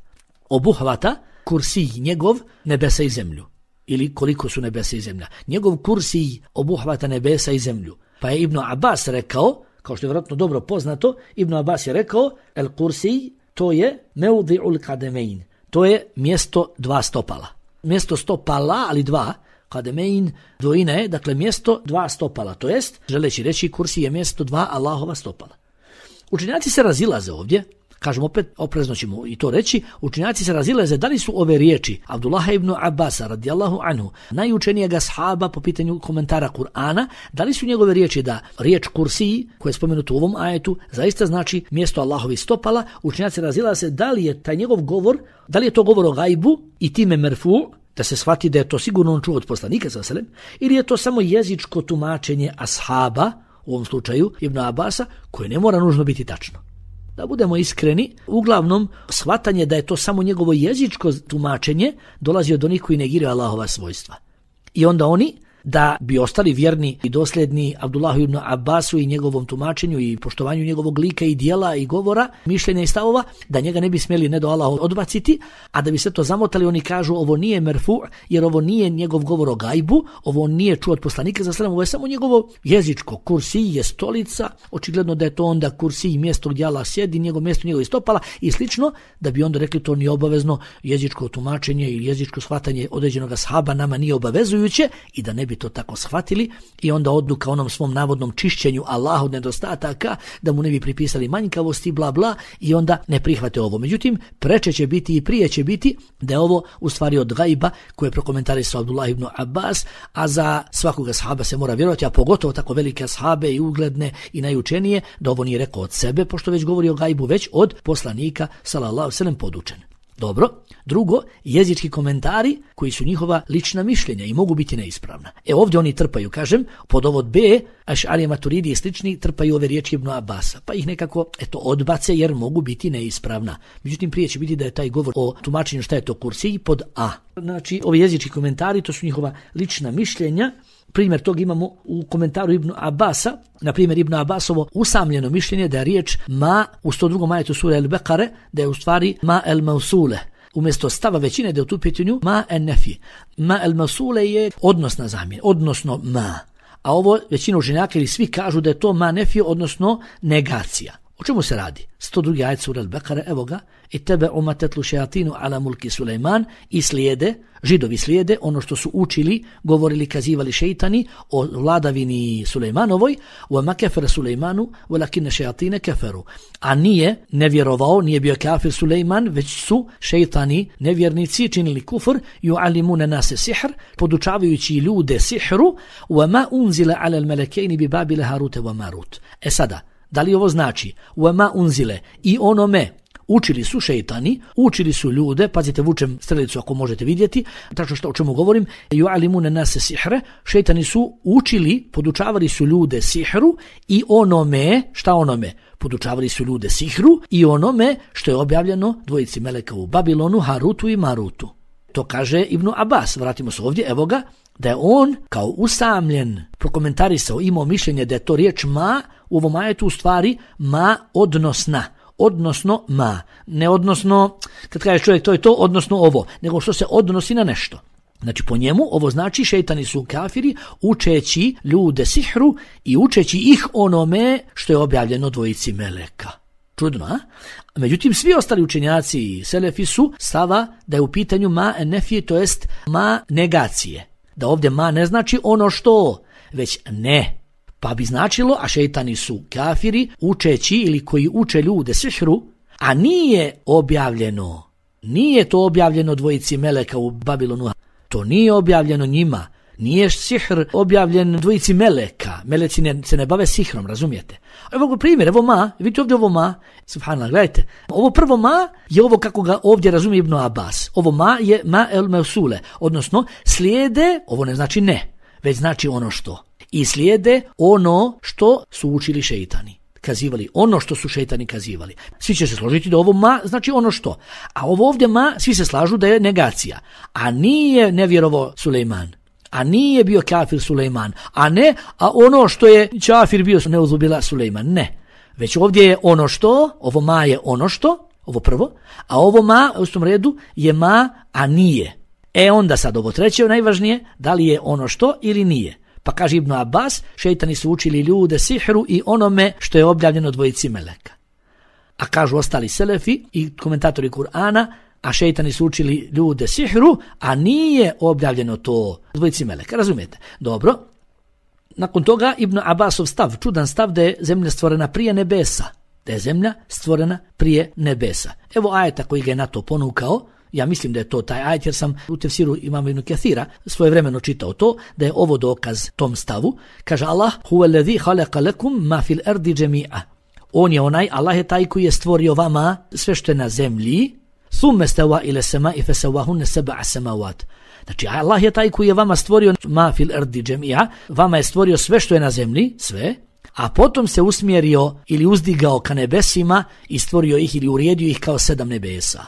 Obuhvata kursi njegov nebesa i zemlju. Ili koliko su nebesa i zemlja. Njegov kursi obuhvata nebesa i zemlju. Pa je Ibn Abbas rekao, kao što je vjerojatno dobro poznato, Ibn Abbas je rekao, el kursi, to je meudi'ul kademein. To je mjesto dva stopala. Mjesto stopala, ali dva, kademein, dvojina je, dakle mjesto dva stopala, to jest, želeći reći kursi je mjesto dva Allahova stopala. Učenjaci se razilaze ovdje, kažem opet, oprezno ćemo i to reći, učenjaci se razilaze da li su ove riječi Abdullaha ibn Abasa radijallahu anhu, najučenijeg ashaba po pitanju komentara Kur'ana, da li su njegove riječi da riječ kursiji, koja je spomenuta u ovom ajetu, zaista znači mjesto Allahovi stopala. Učenjaci razilaze da li je taj njegov govor, da li je to govor o gajbu i time merfu, da se shvati da je to sigurno on čuo od poslanika sallallahu alejhi ve sellem, ili je to samo jezičko tumačenje ashaba, u ovom slučaju Ibn Abasa, koje ne mora nužno biti tačno. Da budemo iskreni, uglavnom shvatanje da je to samo njegovo jezičko tumačenje dolazi od onih koji negiraju Allahova svojstva. I onda oni, da bi ostali vjerni i dosljedni Abdullahu ibn Abbasu i njegovom tumačenju i poštovanju njegovog lika i dijela i govora, mišljenja i stavova, da njega ne bi smjeli ne do Allaha odbaciti, a da bi se to zamotali, oni kažu ovo nije merfu, jer ovo nije njegov govor o gajbu, ovo nije čuo od poslanika za sallam, ovo je samo njegovo jezičko. Kursij je stolica, očigledno da je to onda kursij mjesto gdje Allah sjedi, njegov mjesto njegovih stopala i slično, da bi onda rekli to nije obavezno jezičko tumačenje ili jezičko shvatanje određenog ashaba nama nije obavezujuće i da ne bi to tako shvatili i onda odu ka onom svom navodnom čišćenju Allaha od nedostataka, da mu ne bi pripisali manjkavosti, bla bla, i onda ne prihvate ovo. Međutim, preče će biti i prije će biti da je ovo u stvari od gajba koje je prokomentarisao Abdullah ibn Abbas, a za svakoga ashaba se mora vjerovati, a pogotovo tako velike ashabe i ugledne i najučenije, da ovo nije rekao od sebe, pošto već govori o gajbu, već od poslanika sallallahu alejhi ve sellem podučen. Dobro. Drugo, jezički komentari koji su njihova lična mišljenja i mogu biti neispravna. E ovdje oni trpaju, kažem, pod ovo B, Aš'arija, Maturidi i slični trpaju ove riječi Ibn Abasa, pa ih nekako eto odbace jer mogu biti neispravna. Međutim, prije će biti da je taj govor o tumačenju šta je to kursij pod A. Znači, ovi jezički komentari, to su njihova lična mišljenja. Primjer tog imamo u komentaru Ibn Abasa, na primjer Ibn Abasovo usamljeno mišljenje da je riječ ma u sto drugom ajetu sure Al-Bekare, da je u stvari ma el mausule. Umjesto stava većine da je u tu pitanju ma en nefi. Ma el mausule je odnosna zamjena, odnosno ma. A ovo većina učenjaka ili svi kažu da je to ma nefi, odnosno negacija. O čemu se radi? sto drugi ajet sura Al-Bekare, evo ga, i tebe umatetlu šejatinu ala mulki Sulejman, i slijede, židovi slijede ono što su učili, govorili, kazivali šejtani o vladavini Sulejmanovoj, wa ma kafara Sulejmanu walakinna šejatine kafaru. A nije nevjerovao, nije bio kafir Sulejman, već su šejtani, nevjernici, činili kufr, yu'allimuna nase sihr, podučavajući ljude sihru, wa ma unzila ala al-malakaini bi Babila Harut wa Marut. E sada, da li ovo znači وَمَا unzile i onome učili su šejtani, učili su ljude, pazite vučem strelicu ako možete vidjeti, tačno što o čemu govorim, yu'allimuna nase sihre, šejtani su učili, podučavali su ljude sihru i onome, šta onome? Podučavali su ljude sihru i onome što je objavljeno dvojici meleka u Babilonu, Harutu i Marutu. To kaže Ibn Abbas, vratimo se ovdje, evo ga, da je on kao usamljen prokomentarisao, imao mišljenje da je to riječ ma u ovom ajetu u stvari ma odnosna, odnosno ma, ne odnosno, kad kaže čovjek to je to, odnosno ovo, nego što se odnosi na nešto. Znači po njemu ovo znači šejtani su kafiri učeći ljude sihru i učeći ih onome što je objavljeno dvojici meleka. Čudno, a? Međutim, svi ostali učenjaci i selefi su stava da je u pitanju ma nefije, to jest ma negacije. Da ovdje ma ne znači ono što, već ne. Pa bi značilo, a šejtani su kafiri učeći ili koji uče ljude sihru, a nije objavljeno, nije to objavljeno dvojici meleka u Babilonu, to nije objavljeno njima, nije sihr objavljen dvojici meleka, meleci ne, se ne bave sihrom, razumijete? Evo primjer, evo ma, vidite ovdje ovo ma, subhanallah, gledajte, ovo prvo ma je ovo kako ga ovdje razumije Ibn Abbas, ovo ma je ma el meusule, odnosno slijede, ovo ne znači ne, već znači ono što, i slijede ono što su učili šejtani, kazivali, ono što su šejtani kazivali. Svi će se složiti da ovo ma znači ono što, a ovo ovdje ma, svi se slažu da je negacija, a nije nevjerovao Sulejman. A nije bio kafir Sulejman, a ne, a ono što je kafir bio neuzubila Sulejman, ne. Već ovdje je ono što, ovo ma je ono što, ovo prvo, a ovo ma u tom redu je ma, a nije. E onda sad ovo treće najvažnije, da li je ono što ili nije. Pa kaže Ibn Abbas, šejtani su učili ljude sihru i onome što je objavljeno dvojici meleka. A kažu ostali selefi i komentatori Kur'ana, a šejtani su učili ljude sihru, a nije objavljeno to dvojici meleka, razumijete? Dobro. Nakon toga Ibn Abbasov stav, čudan stav da je zemlja stvorena prije nebesa. Da je zemlja stvorena prije nebesa. Evo ajeta koji ga je na to ponukao. Ja mislim da je to taj ajet jer sam u tefsiru imama Ibn Kathira svojevremeno čitao to, da je ovo dokaz tom stavu. Kaže Allah, huwa alladhi khalaqa lakum ma fil ardi jami'a. On je onaj, Allah je taj koji je stvorio vama sve što je na zemlji. Thumma stawa ila sama'i fasawahunna sab'a samawat. Znači Allah je taj koji je vama stvorio ma fil ardi jami'a, vama je stvorio sve što je na zemlji, sve. A potom se usmjerio ili uzdigao ka nebesima i stvorio ih ili uredio ih kao sedam nebesa.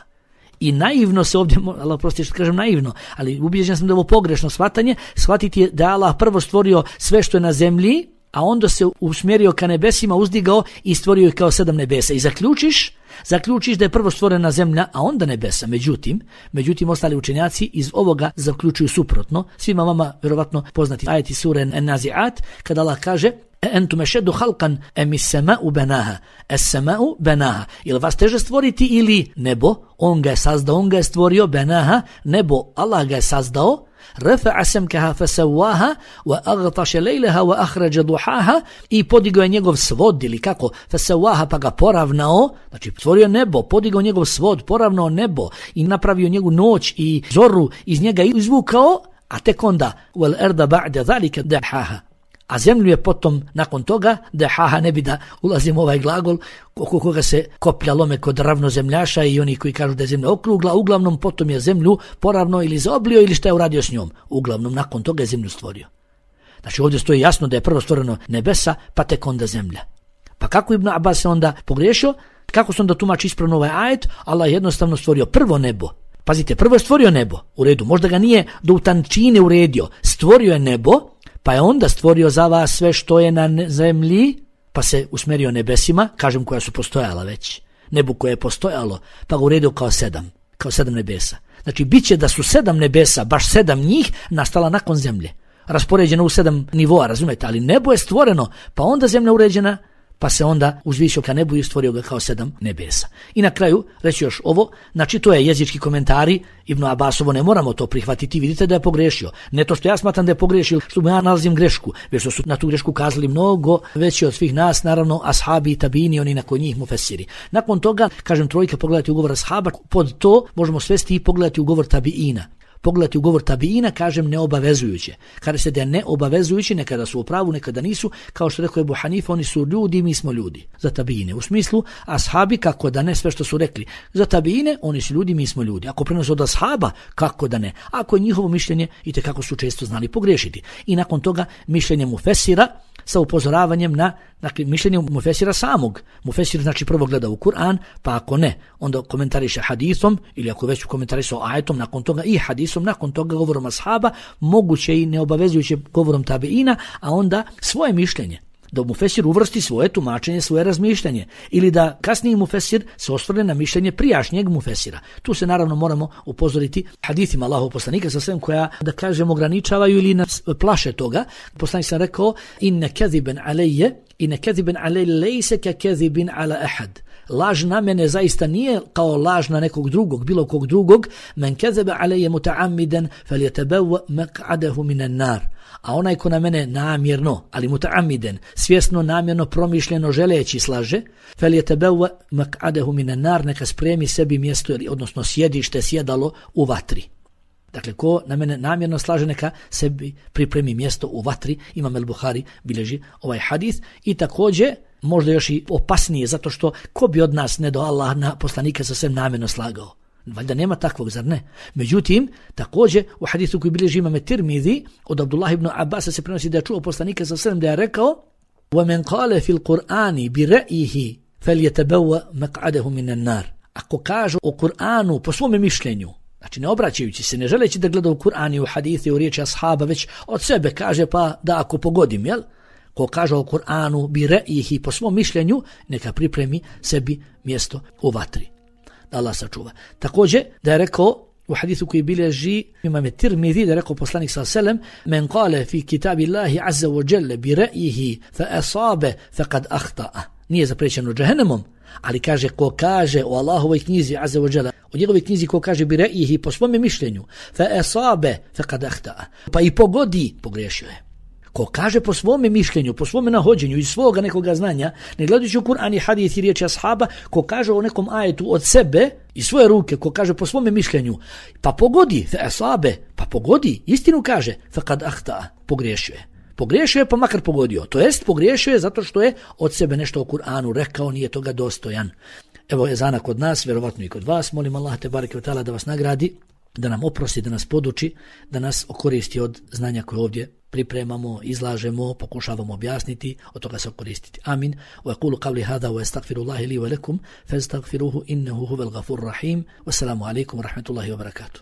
I naivno se ovdje, Allah prosti što kažem naivno, ali ubijeđen sam da je ovo pogrešno shvatanje, shvatiti je da Allah prvo stvorio sve što je na zemlji, a onda se usmjerio ka nebesima, uzdigao i stvorio ih kao sedam nebesa. I zaključiš, zaključiš da je prvo stvorena zemlja, a onda nebesa. Međutim, međutim ostali učenjaci iz ovoga zaključuju suprotno. Svima vama vjerovatno poznati ajeti sure An-Nazi'at, kada Allah kaže entum ešeddu halkan emis sama'u benaha, es sama'u benaha. Ili vas teže stvoriti ili nebo, on ga je sazdao, on ga je stvorio, benaha, nebo, Allah ga je sazdao, rafa'a samkaha fasawaha wa aghtasha laylaha wa akhraja duhaha, i podigao je njegov svod ili kako, fasawaha, pa ga poravnao, znači stvorio nebo, podigao njegov svod, poravnao nebo i napravio njegovu noć i zoru, iz njega izvukao, a tek onda wal arda ba'da zalika dahaha. A zemlju je potom, nakon toga, dehaha, ne bi da ulazim u ovaj glagol, oko koga se koplja lome kod ravnozemljaša i oni koji kažu da je zemlja okrugla, uglavnom potom je zemlju poravno ili zaoblio ili šta je uradio s njom. Uglavnom, nakon toga je zemlju stvorio. Znači ovdje stoji jasno da je prvo stvoreno nebesa, pa tek onda zemlja. Pa kako Ibn Abbas se onda pogriješio? Kako se onda tumači ispravno ovaj ajet? Allah je jednostavno stvorio prvo nebo. Pazite, prvo je stvorio nebo, u redu, možda ga nije do u tančine uredio, stvorio je nebo, pa je onda stvorio za vas sve što je na zemlji, pa se usmjerio nebesima, kažem koja su postojala već, nebu koje je postojalo, pa ga uredio kao sedam, kao sedam nebesa. Znači, bit će da su sedam nebesa, baš sedam njih, nastala nakon zemlje, raspoređeno u sedam nivoa, razumijete, ali nebo je stvoreno, pa onda zemlja uređena, pa se onda uzvišio ka nebu i stvorio ga kao sedam nebesa. I na kraju reći još ovo, znači to je jezički komentari Ibn Abbasovo, ne moramo to prihvatiti, vidite da je pogrešio. Ne to što ja smatram da je pogrešio, što ja nalazim grešku, već što su na tu grešku kazali mnogo veći od svih nas, naravno ashabi i tabini, oni nakon njih mufesiri. Nakon toga, kažem trojka, pogledati ugovor ashaba, pod to možemo svesti i pogledati ugovor tabiina. Pogledati ugovor tabiina, kažem neobavezujuće. Kada se da je neobavezujući, nekada su u pravu, nekada nisu, kao što rekao Ebu Hanifa, oni su ljudi, mi smo ljudi. Za tabiine. U smislu, ashabi, kako da ne, sve što su rekli. Za tabiine, oni su ljudi, mi smo ljudi. Ako prenose od ashaba, kako da ne. Ako je njihovo mišljenje, i kako su često znali pogriješiti. I nakon toga, mišljenje mufesira, sa upozoravanjem na, dakle, mišljenje mufesira samog. Mufesir znači prvo gleda u Kur'an, pa ako ne, onda komentariše hadisom, ili ako već komentariše ajetom, nakon toga i hadisom, nakon toga govorom ashaba, moguće i neobavezujuće govorom tabiina, a onda svoje mišljenje. Da mufesir uvrsti svoje tumačenje, svoje razmišljanje, ili da kasniji mufesir se osvrne na mišljenje prijašnjeg mufesira. Tu se naravno moramo upozoriti hadithima Allahovog poslanika sa svem koja, da kažem, ograničavaju ili nas plaše toga. Poslanik sam rekao, inne keziben alejje, inne keziben alejje lejse ke kezibin ala ahad. Laž na mene zaista nije kao laž na nekog drugog, bilo kog drugog. Men kezebe alejje muta'amiden fel jetebev mek'adehu minan nar. A onaj ko na mene namjerno, ali muta'amiden, svjesno, namjerno, promišljeno, želeći slaže, fel jetebev mek'adehu minan nar, neka spremi sebi mjesto, odnosno sjedište, sjedalo u vatri. Dakle, ko na mene namjerno slaže, neka sebi pripremi mjesto u vatri. Imam el-Buhari bilježi ovaj hadith. I također, možda još i opasnije, zato što ko bi od nas ne do Allah na poslanika sa svem namjerno slagao? Valjda nema takvog, zar ne? Međutim, također u hadisu koji bilježi imam Tirmizi, od Abdullah ibn Abbasa se prenosi da je čuo poslanika sa svem da je rekao: وَمَنْ قَالَ فِي الْقُرْآنِ بِرَئِهِ فَلْيَتَبَوَّ مَقْعَدَهُ مِنَ النَّارِ. Ako kaže o Kur'anu po svome mišljenju, znači ne obraćajući se, ne želeći da gleda u Kur'an i u hadise, u riječi ashaba, već od sebe kaže pa da ako pogodim, jel? Ko kaže o Kur'anu bi re'ihi po svom mišljenju, neka pripremi sebi mjesto u vatri. Da Allah sačuva. Također da je rekao u hadisu koji bilježi imam Tirmizi, da je rekao poslanik sallallahu alejhi ve sellem: men qala fi kitabillahi azza wa jalla bi re'ihi fa asabe faqad akhta'a. Nije zapriječeno džehennemom, ali kaže ko kaže o Allahovoj knjizi azza wa jalla, o njegovoj knjizi ko kaže bi re'ihi po svom mišljenju, fa asabe faqad akhta'a, pa i pogodi, pogriješio je. Ko kaže po svome mišljenju, po svome nahođenju, iz svoga nekoga znanja, ne gledajući u Kur'an i hadis i riječi ashaba, ko kaže o nekom ajetu od sebe i svoje ruke, ko kaže po svome mišljenju, pa pogodi, fe asabe, pa pogodi, istinu kaže, faqad ahta, pogriješio je. Pogriješio je pa makar pogodio. To jest pogriješio je zato što je od sebe nešto o Kur'anu rekao, nije toga dostojan. Evo je ezana kod nas, vjerovatno i kod vas. Molim Allah te bareke ve taala da vas nagradi, da nam oprosti, da nas poduči, da nas okoristi od znanja koje ovdje pripremamo, izlažemo, pokušavamo objasniti, od toga se okoristiti. Amin. Wa yaqulu qawli hadha wa astaghfirullaha li wa lakum fastaghfiruhu innahu huwal ghafurur rahim. Wassalamu alaikum wa rahmatullahi wa barakatuh.